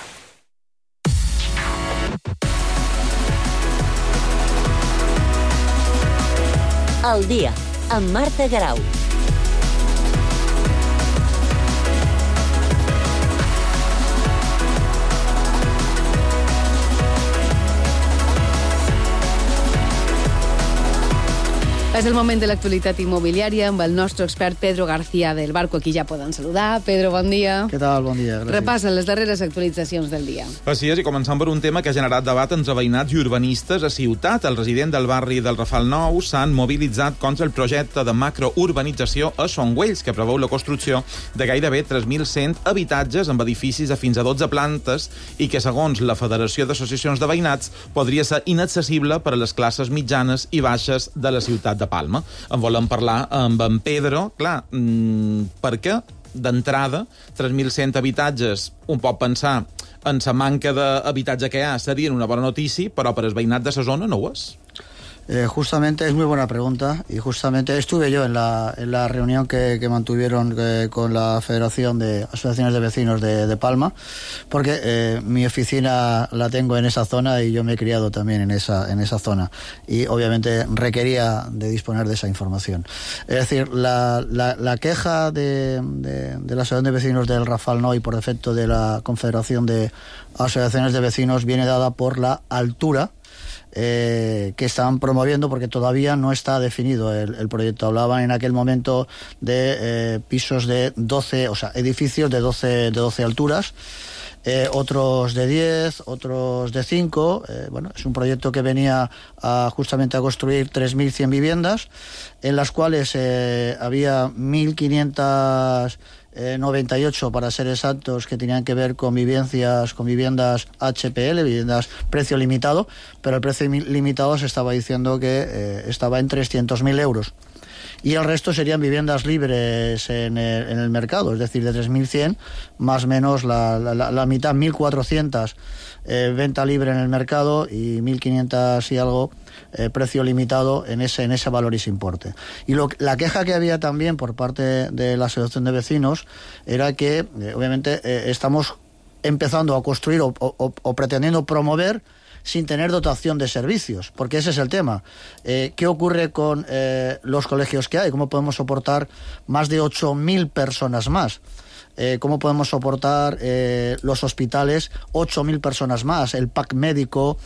Al dia, amb Marta Garau. És el moment de l'actualitat immobiliària amb el nostre expert Pedro García del Barco. Aquí ja poden saludar. Pedro, bon dia. Què tal? Bon dia, gràcies. Repassa les darreres actualitzacions del dia. Així és, i començant per un tema que ha generat debat entre veïnats i urbanistes a Ciutat. El resident del barri del Rafal Nou s'han mobilitzat contra el projecte de macrourbanització a Songüells, que preveu la construcció de gairebé 3.100 habitatges amb edificis de fins a 12 plantes i que, segons la Federació d'Associacions de Veïnats, podria ser inaccessible per a les classes mitjanes i baixes de la ciutat de Palma. En volem parlar amb en Pedro. Clar, perquè d'entrada 3.100 habitatges, un pot pensar en la manca d'habitatge que hi ha serien una bona notícia, però per al veïnat de la zona no ho és. Justamente es muy buena pregunta y justamente estuve yo en la reunión que mantuvieron con la Federación de Asociaciones de Vecinos de Palma, porque mi oficina la tengo en esa zona y yo me he criado también en esa zona y obviamente requería de disponer de esa información. Es decir, la queja de la Asociación de Vecinos del Rafal Nou y por defecto de la Confederación de Asociaciones de Vecinos viene dada por la altura que estaban promoviendo, porque todavía no está definido el proyecto. Hablaban en aquel momento de pisos de 12, o sea, edificios de 12 alturas, otros de 10, otros de 5. Bueno, es un proyecto que venía justamente a construir 3.100 viviendas, en las cuales había 1.598, para ser exactos, que tenían que ver con viviendas HPL, viviendas precio limitado, pero el precio limitado se estaba diciendo que estaba en 300.000 euros. Y el resto serían viviendas libres en el mercado, es decir, de 3.100, más o menos la mitad, 1.400 venta libre en el mercado y 1.500 y algo precio limitado en ese valor y ese importe. Y la queja que había también por parte de la Asociación de Vecinos era que, obviamente, estamos empezando a construir o pretendiendo promover sin tener dotación de servicios, porque ese es el tema. ¿Qué ocurre con los colegios que hay? ¿Cómo podemos soportar más de 8.000 personas más? ¿Cómo podemos soportar los hospitales, 8.000 personas más, el pack médico?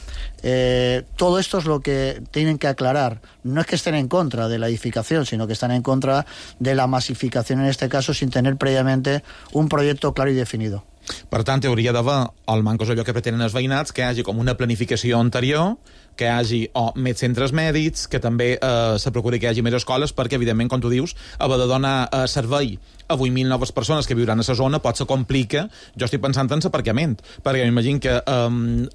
Todo esto es lo que tienen que aclarar. No es que estén en contra de la edificación, sino que están en contra de la masificación, en este caso, sin tener previamente un proyecto claro y definido. Per tant, hauria d'haver, el manco és allò que pretenen els veïnats, que hi hagi com una planificació anterior, que hi hagi més centres mèdics, que també se procuri que hi hagi més escoles, perquè, evidentment, com tu dius, haver de donar servei a 8.000 noves persones que viuran a la zona pot se complica. Jo estic pensant en l'aparcament, perquè m'imagino que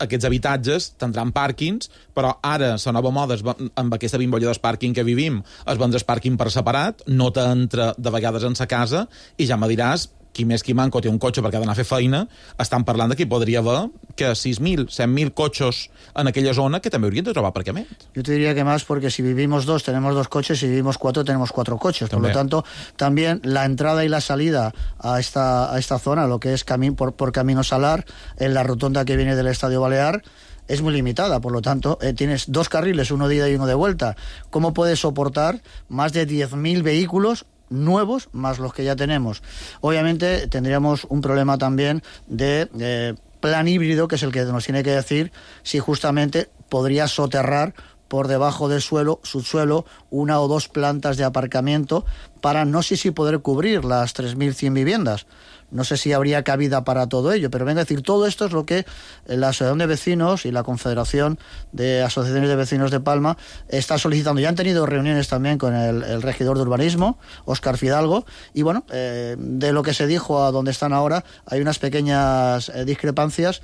aquests habitatges tindran pàrquings, però ara la nova moda amb aquesta bimbolla del pàrquing que vivim es vendre el pàrquing per separat, no t'entra de vegades en sa casa, i ja me diràs qui més qui manco té un cotxe perquè ha d'anar a fer feina. Estan parlant de que hi podria haver que 6.000, 7.000 cotxes en aquella zona que també haurien de trobar aparcament. Yo te diría que más, porque si vivimos 2 tenemos 2 coches, si vivimos 4 tenemos 4 coches. Por lo tanto, también la entrada y la salida a esta zona, lo que es por Camino Salar, en la rotonda que viene del Estadio Balear, es muy limitada. Por lo tanto, tienes 2 carriles, uno de ida y uno de vuelta. ¿Cómo puedes soportar más de 10.000 vehículos nuevos más los que ya tenemos? Obviamente tendríamos un problema también de plan híbrido, que es el que nos tiene que decir si justamente podría soterrar por debajo del subsuelo, 1 o 2 plantas de aparcamiento para no sé si poder cubrir las 3.100 viviendas. No sé si habría cabida para todo ello, pero venga a decir, todo esto es lo que la Asociación de Vecinos y la Confederación de Asociaciones de Vecinos de Palma está solicitando. Ya han tenido reuniones también con el regidor de urbanismo, Óscar Fidalgo, y bueno, de lo que se dijo a donde están ahora hay unas pequeñas discrepancias,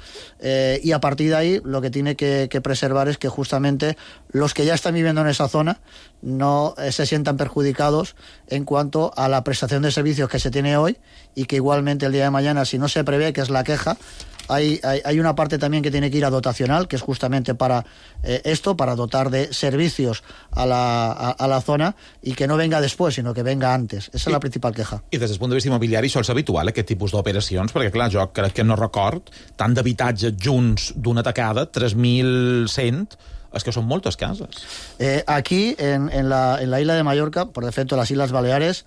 y a partir de ahí lo que tiene que preservar es que justamente los que ya están viviendo en esa zona no se sientan perjudicados en cuanto a la prestación de servicios que se tiene hoy, y que igualmente el día de mañana, si no se prevé, que es la queja, hay una parte también que tiene que ir a dotacional, que es justamente para para dotar de servicios a la zona, y que no venga después, sino que venga antes. Esa es la principal queja. I des del punt de vista immobiliari això és habitual, aquest tipus d'operacions? Perquè, clar, jo crec que no record tant d'habitatges junts d'una tacada, 3.100, es que son moltes cases. Aquí, en la isla de Mallorca, por defecto las Islas Baleares,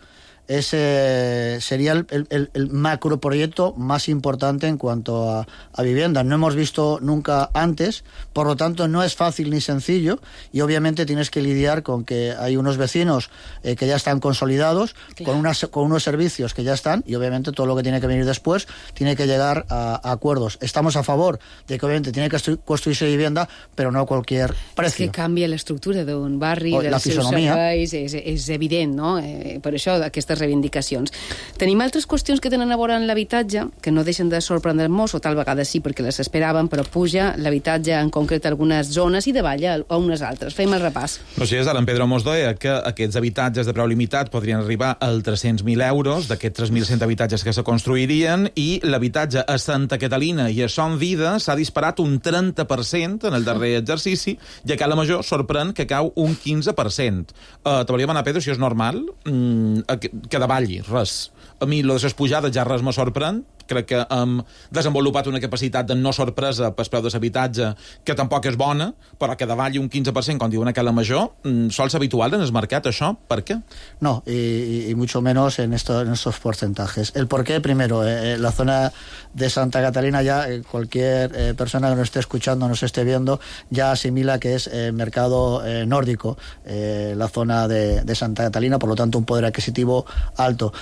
sería el macroproyecto más importante en cuanto a vivienda. No hemos visto nunca antes, por lo tanto no es fácil ni sencillo, y obviamente tienes que lidiar con que hay unos vecinos que ya están consolidados, claro, con unos servicios que ya están, y obviamente todo lo que tiene que venir después tiene que llegar a acuerdos. Estamos a favor de que obviamente tiene que construirse vivienda, però no a cualquier precio. És que canvia l'estructura d'un barri, dels seus serveis, és evident, no? Per això aquestes reivindicacions. Tenim altres qüestions que tenen a veure amb l'habitatge, que no deixen de sorprendre-nos, o tal vegada sí, perquè les esperaven, però puja l'habitatge en concret a algunes zones i davalla a unes altres. Fem el repàs. No sé, ara en Pedro Mos deia que aquests habitatges de preu limitat podrien arribar als 300.000 euros, d'aquests 3.100 habitatges que se construirien, i l'habitatge a Santa Catalina i a Son Vida s'ha disparat un 30% en el darrer exercici, i a Cala Major sorprèn que cau un 15%. T'hauria de demanar, Pedro, si és normal que davalli, res. A mi, lo de les pujades ja res me sorprèn, crec que hem desenvolupat una capacitat de no sorpresa pel preu de l'habitatge que tampoc és bona, però que davalli un 15%, com diuen a Cala Major, sol ser habitual en el mercat, això? ¿Por qué? No, y mucho menos en estos porcentajes. El por qué, primero, la zona de Santa Catalina ya, cualquier persona que nos esté escuchando, nos esté viendo, ya asimila que es mercado nórdico, la zona de Santa Catalina, por lo tanto un poder adquisitivo alto.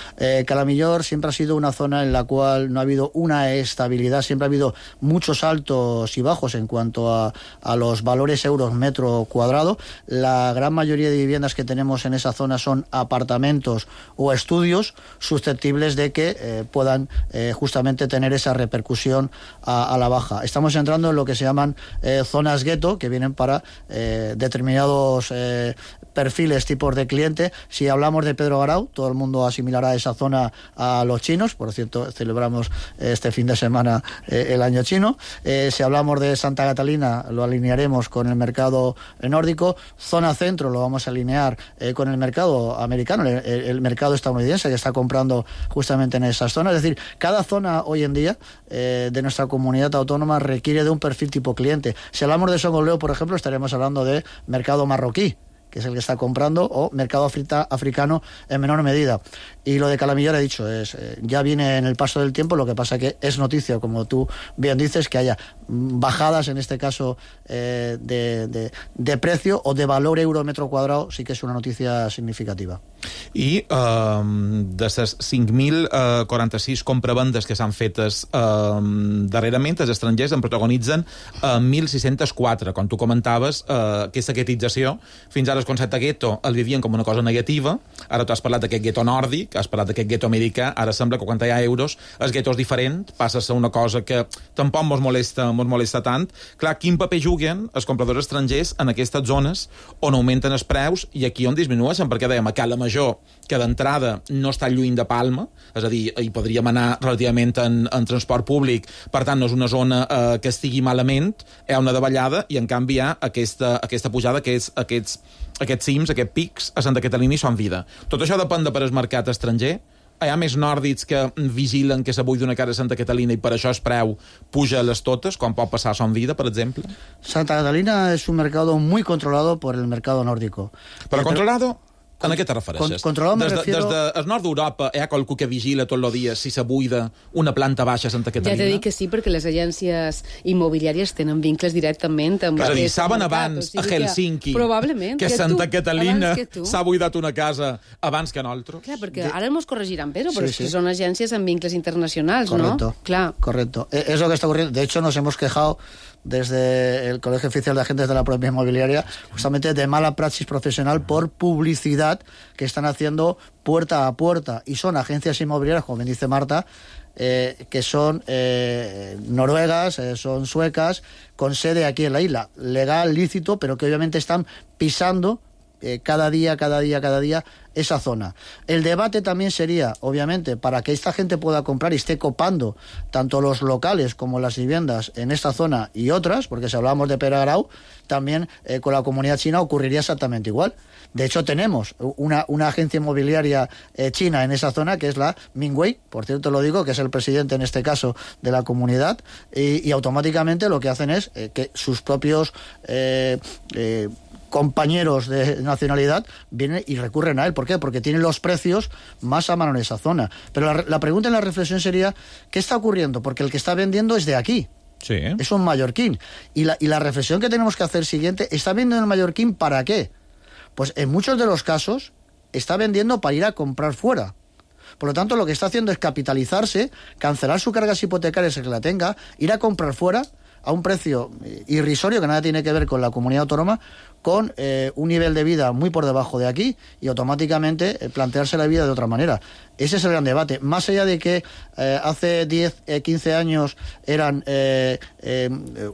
Cala Millor siempre ha sido una zona en la cual no ha habido una estabilidad, siempre ha habido muchos altos y bajos en cuanto a los valores euros metro cuadrado. La gran mayoría de viviendas que tenemos en esa zona son apartamentos o estudios susceptibles de que puedan justamente tener esa repercusión a la baja. Estamos entrando en lo que se llaman zonas gueto, que vienen para determinados perfiles, tipos de cliente. Si hablamos de Pedro Garau, todo el mundo asimilará esa zona a los chinos. Por cierto, celebramos este fin de semana el año chino. Si hablamos de Santa Catalina, lo alinearemos con el mercado nórdico. Zona centro lo vamos a alinear con el mercado americano, el mercado estadounidense, que está comprando justamente en esas zonas. Es decir, cada zona hoy en día de nuestra comunidad autónoma requiere de un perfil tipo cliente. Si hablamos de Songoleo, por ejemplo, estaremos hablando de mercado marroquí, que es el que está comprando, o mercado africano en menor medida. Y lo de Cala Millor, he dicho, ya viene en el paso del tiempo. Lo que pasa que es noticia, como tú bien dices, que haya bajadas, en este caso, de precio o de valor euro metro cuadrado, sí que és una notícia significativa. I de les 5.046 compravendes que s'han fetes darrerament, els estrangers en protagonitzen 1.604. Com tu comentaves, aquesta guetització, fins ara el concepte gueto el vivien com una cosa negativa. Ara tu has parlat d'aquest gueto nòrdic, has parlat d'aquest gueto americà. Ara sembla que quan hi ha euros el gueto és diferent, passa a ser una cosa que tampoc mos molesta tant. Clar, quin paper juguen els compradors estrangers en aquestes zones on augmenten els preus i aquí on disminueixen? Perquè dèiem a Cala Major, que d'entrada no està lluny de Palma, és a dir, hi podríem anar relativament en transport públic, per tant no és una zona que estigui malament, hi ha una davallada i en canvi hi ha aquesta pujada, que és aquests cims, aquests pics a Santa Catalina i Son Vida. Tot això depèn de per el mercat estranger. Hi ha més nòrdics que vigilen que se buidi una casa a Santa Catalina i per això el preu puja a les totes, com pot passar a Son Vida, per exemple? Santa Catalina es un mercado muy controlado por el mercado nórdico. Però controlado? A què te refereixes? Des del nord d'Europa hi ha qualcú que vigila tot el dia si se buida una planta baixa a Santa Catalina? Ja t'he dit que sí, perquè les agències immobiliàries tenen vincles directament amb... És a dir, saben abans a Helsinki que Santa Catalina s'ha buidat una casa abans que nosaltres? Clar, perquè ara ens corregiran, però és que són agències amb vincles internacionals, ¿no? Correcto. Es lo que está ocurriendo. De hecho, nos hemos quejado desde el Colegio Oficial de Agentes de la Propiedad Inmobiliaria justamente de mala praxis profesional por publicidad que están haciendo puerta a puerta, y son agencias inmobiliarias, como bien dice Marta, que son noruegas, son suecas, con sede aquí en la isla, legal, lícito, pero que obviamente están pisando cada día esa zona. El debate también sería, obviamente, para que esta gente pueda comprar y esté copando tanto los locales como las viviendas en esta zona y otras, porque si hablamos de Pedro Garau, también con la comunidad china ocurriría exactamente igual. De hecho, tenemos una agencia inmobiliaria china en esa zona, que es la Mingwei, por cierto lo digo, que es el presidente en este caso de la comunidad, y automáticamente lo que hacen es que sus propios compañeros de nacionalidad vienen y recurren a él. ¿Por qué? Porque tienen los precios más a mano en esa zona. Pero la pregunta en la reflexión sería, ¿qué está ocurriendo? Porque el que está vendiendo es de aquí. Sí. Es un mallorquín. Y la reflexión que tenemos que hacer siguiente, ¿está vendiendo el mallorquín para qué? Pues en muchos de los casos está vendiendo para ir a comprar fuera. Por lo tanto, lo que está haciendo es capitalizarse, cancelar sus cargas hipotecarias, el que la tenga, ir a comprar fuera a un precio irrisorio que nada tiene que ver con la comunidad autónoma, con un nivel de vida muy por debajo de aquí, y automáticamente plantearse la vida de otra manera. Ese es el gran debate. Más allá de que hace 10, 15 años eran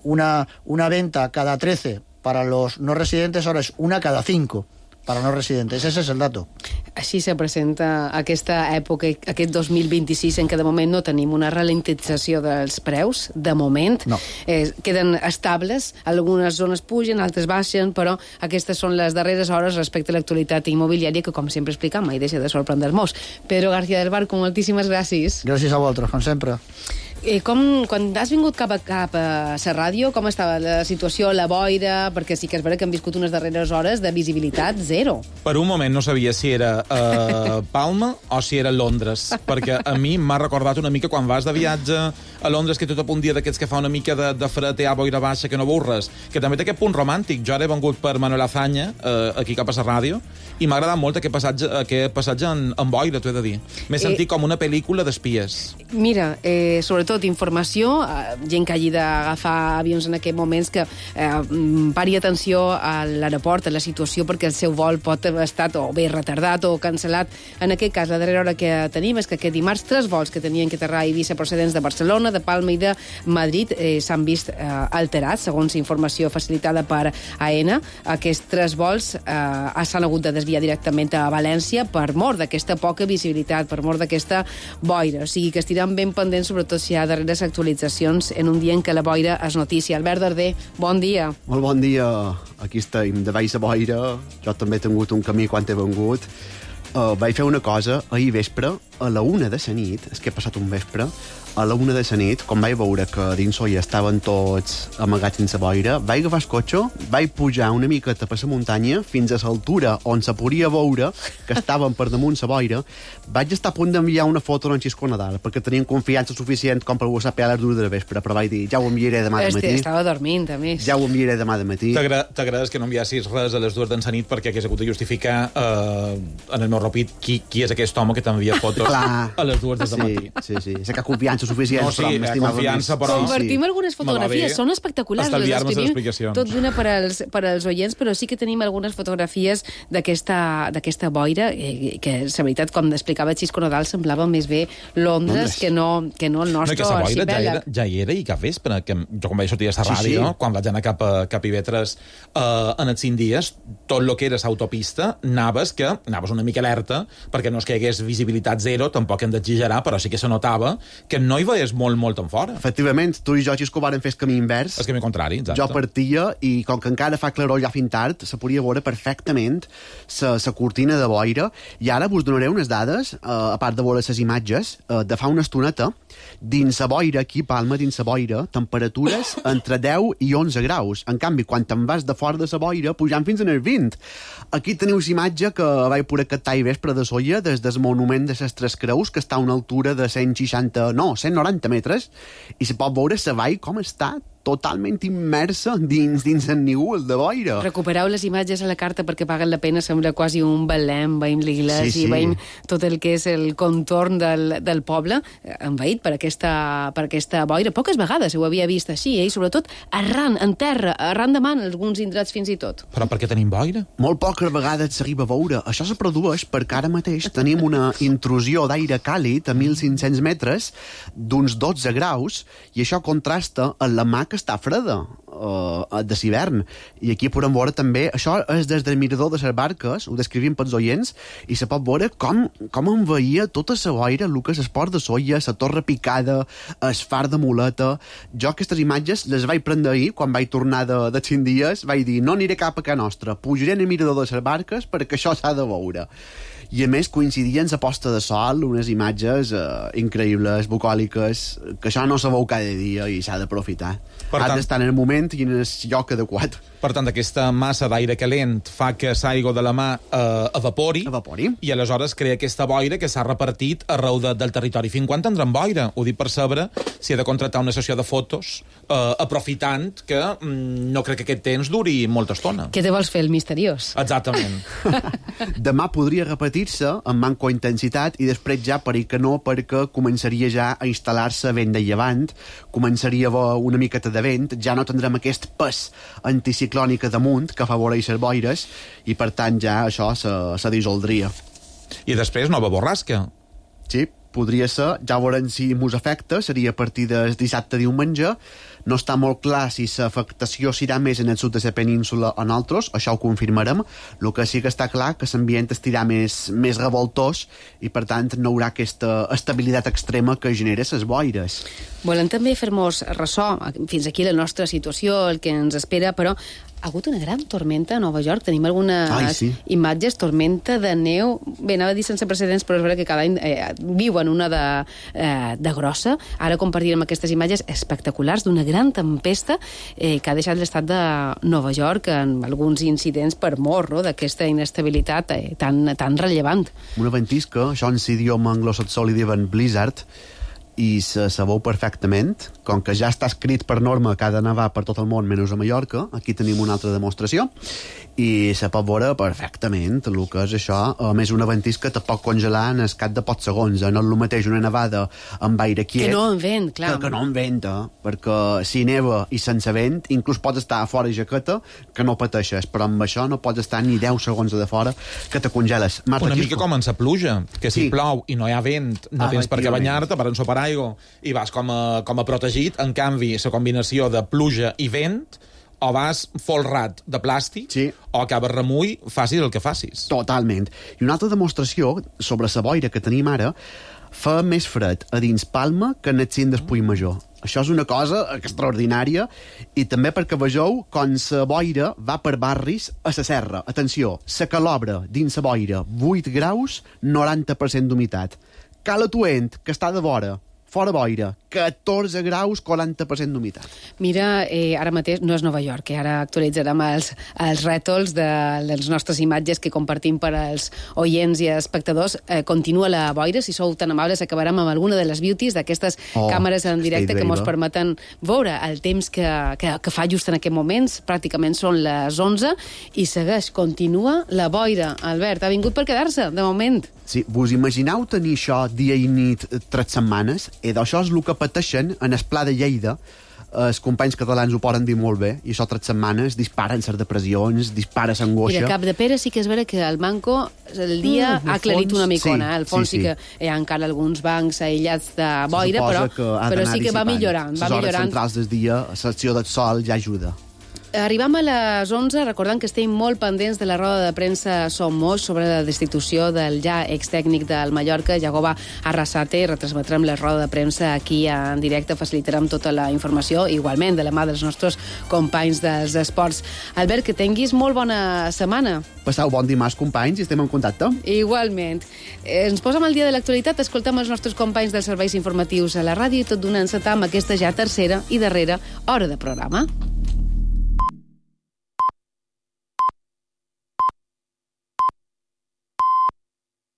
una venta cada 13 para los no residentes, ahora es una cada 5 para no residentes. Ese es el dato. Així se presenta aquesta època, aquest 2026, en què de moment no tenim una ralentització dels preus, de moment. No. Queden estables, algunes zones pugen, altres baixen, però aquestes són les darreres hores respecte a l'actualitat immobiliària, que, com sempre explicam, mai deixa de sorprendre-nos. Pedro García del Barco, moltíssimes gràcies. Gràcies a vosaltres, com sempre. Quan has vingut cap a la ràdio, com estava la situació, la boira? Perquè sí que és vera que hem viscut unes darreres hores de visibilitat zero. Per un moment no sabia si era Palma o si era Londres, perquè a mi m'ha recordat una mica quan vas de viatge a Londres, que tot a punt dia d'aquests que fa una mica de fred, boira baixa, que no veus res, que també té aquest punt romàntic. Jo ara he vengut per Manuel Azaña, aquí cap a la ràdio, i m'ha agradat molt aquest passatge en boira, t'ho he de dir. M'he sentit com una pel·lícula d'espies. Mira, sobretot informació, gent que hagi d'agafar avions en aquests moments, que pari atenció a l'aeroport, a la situació, perquè el seu vol pot haver estat o bé retardat o cancel·lat. En aquest cas, la darrera hora que tenim és que aquest dimarts 3 vols que tenien que aterrar a Eivissa procedents de Barcelona, de Palma i de Madrid s'han vist alterats, segons informació facilitada per AENA. Aquests 3 vols s'han hagut de desviar directament a València per mort d'aquesta poca visibilitat, per mort d'aquesta boira. O sigui que estirem ben pendents, sobretot si hi ha darreres actualitzacions en un dia en què la boira és notícia. Albert Darder, bon dia. Molt bon dia. Aquí estem, de baix a boira. Jo també he tingut un camí quan he vengut. Vaig fer una cosa ahir vespre, a la 1 de la nit, és que he passat un vespre, a la 1 de la nit, quan vaig veure que dins Soia estaven tots amagats sense boira, vaig agafar el cotxe, vaig pujar una miqueta per la muntanya fins a l'altura on se podia veure que estaven per damunt la boira. Vaig estar a punt d'enviar una foto a Xisco Nadal, perquè tenien confiança suficient com per WhatsApp a les 2 de la vespre, però vaig dir, ja ho enviaré demà de matí. Estava dormint, a més. Ja ho enviaré demà de matí. T'agrades que no enviassis res a les 2 de la nit perquè hagués hagut de justificar en el meu rapid qui és aquest home que t'envia fotos a les 2 de matí. Sí. Sé que confiança suficient, però m'estimava confiança, però... Compartim algunes fotografies, són espectaculars. Estalviar-me les explicacions. Tot d'una per als oients, però sí que tenim algunes fotografies d'aquesta boira, que, la veritat, com explicava Xisco Nadal, semblava més bé Londres que no el nostre arxipèlag. Ja hi era i cap vespre, que jo quan vaig sortir a la ràdio, quan vaig anar cap a Ivetres en els 5 dies, tot el que era l'autopista, anaves una mica alerta, perquè no és que hi hagués visibilitat zero, tampoc hem d'exagerar, però sí que se notava que no hi veies molt en fora. Efectivament, tu i jo, Xisco, varen fer el camí invers. El camí contrari, exacte. Jo partia i, com que encara fa claror ja fins tard, se podia veure perfectament la cortina de boira, i ara vos donaré unes dades, a part de veure les imatges, de fa una estoneta, dins la boira, aquí a Palma, dins la boira, temperatures entre 10 i 11 graus. En canvi, quan te'n vas de fora de la boira, pujant fins en el 20. Aquí teniu imatge que vaig poder captar i vespre de Soia des del monument de les Tres Creus, que està a una altura de 190 metres, i se pot veure la vall com està totalment immersa dins el nígol de boira. Recupereu les imatges a la carta perquè paguen la pena, sembla quasi un Belém, veiem l'església i veiem tot el que és el contorn del poble envaït per aquesta boira. Poques vegades ho havia vist així, i sobretot arran, en terra, arran de man, alguns indrets fins i tot. Però per què tenim boira? Molt poques vegades s'arriba a veure. Això se produeix perquè ara mateix tenim una intrusió d'aire càlid a 1.500 metres d'uns 12 graus, i això contrasta amb la mà que està freda de l'hivern. I aquí podem veure també, això és des del mirador de les barques, ho descrivim pels oients, i se pot veure com envaïa tota la boira, el que és el port de Soia, la torre picada, el far de Muleta. Jo aquestes imatges les vaig prendre ahir, quan vaig tornar de 5 dies, vaig dir, no aniré cap a casa nostra, pujaré en el mirador de les barques perquè això s'ha de veure. I a més coincidien la posta de sol, unes imatges increïbles, bucòliques, que això no se veu cada dia i s'ha d'aprofitar. Has d'estar en el moment i en el lloc adequat. Per tant, aquesta massa d'aire calent fa que l'aigua de la mà evapori, i aleshores crea aquesta boira que s'ha repartit arreu del territori. Fins quan tindrem boira? Ho dic per saber si he de contractar una sessió de fotos, aprofitant que no crec que aquest temps duri molta estona. Què te vols fer, el misteriós? Exactament. Demà podria repetir-se amb manco intensitat, i després ja per que no, perquè començaria ja a instal·lar-se vent de llevant, començaria a haver una miqueta de vent, ja no tindrem aquest pes anticiclònic damunt que afavoreix les boires, i per tant ja això se dissoldria. I després nova borrasca. Sí, podria ser, ja veurem si mos afecta, seria a partir del dissabte-diumenge. No està molt clar si l'afectació serà més en el sud de la península o en altres, això ho confirmarem. El que sí que està clar que l'ambient estirà més revoltós i, per tant, no hi haurà aquesta estabilitat extrema que genera les boires. Volem també fer-nos ressò, fins aquí la nostra situació, el que ens espera, però ha hagut una gran tormenta a Nova York. Tenim algunes imatges, tormenta de neu. Bé, anava a dir sense precedents, però és veritat que cada any viuen una de grossa. Ara compartirem aquestes imatges espectaculars d'una gran tempesta que ha deixat l'estat de Nova York en alguns incidents per mort, no?, d'aquesta inestabilitat tan rellevant. Una ventisca, això en l'idioma anglosaxó li diuen blizzard, i se sabeu perfectament, com que ja està escrit per norma que ha de nevar per tot el món menys a Mallorca, aquí tenim una altra demostració, i se pot veure perfectament el que és això. A més, una ventisca te pot congelar en el cap de pocs segons, no és el mateix una nevada amb aire quiet que no en vent, clar, que no en vent, perquè si neva i sense vent inclús pots estar a fora i jaqueta que no pateixes, però amb això no pots estar ni 10 segons de fora que te congeles. Una mica com en la pluja, que si plou i no hi ha vent no tens per què banyar-te, per ensopar aigua i vas com a protegit. En canvi, la combinació de pluja i vent, o vas folrat de plàstic, o acabes remull, facis el que facis. Totalment. I una altra demostració sobre la boira que tenim ara, fa més fred a dins Palma que en el cim del Puigmajor. Això és una cosa extraordinària, i també perquè vegeu com la boira va per barris a la serra. Atenció, la Calobra dins la boira, 8 graus, 90% d'humitat. Cala Tuent, que està de vora, fora boira, 14 graus, 40% d'humitat. Mira, ara mateix no és Nova York, ara actualitzarem els rètols de les nostres imatges que compartim per als oients i espectadors. Continua la boira, si sou tan amables acabarem amb alguna de les beauties d'aquestes càmeres en directe que ens permeten veure el temps que fa just en aquest moments. Pràcticament són les 11 i segueix, continua la boira. Albert, ha vingut per quedar-se, de moment. Sí, vos imagineu tenir això dia i nit 3 setmanes? D'això és el que pateixen en el Pla de Lleida. Els companys catalans ho poden dir molt bé, i això 3 setmanes disparen les depressions, dispara l'angoixa. I de Capdepera sí que és vera que el Manco el dia ha aclarit una micona. Al fons sí que hi ha encara alguns bancs aïllats de boira, però sí que va millorant. Les hores centrals del dia, l'acció del sol ja ajuda. Arribam a les 11, recordant que estem molt pendents de la roda de premsa Som Moix sobre la destitució del ja extècnic del Mallorca, Jagoba Arrasate. Retransmetrem la roda de premsa aquí en directe, facilitarem tota la informació, igualment de la mà dels nostres companys dels esports. Albert, que tinguis molt bona setmana. Passau bon dimarts, companys, i estem en contacte. Igualment. Ens posem al dia de l'actualitat, escoltem els nostres companys dels serveis informatius a la ràdio i tot donant-se amb aquesta ja tercera i darrera hora de programa.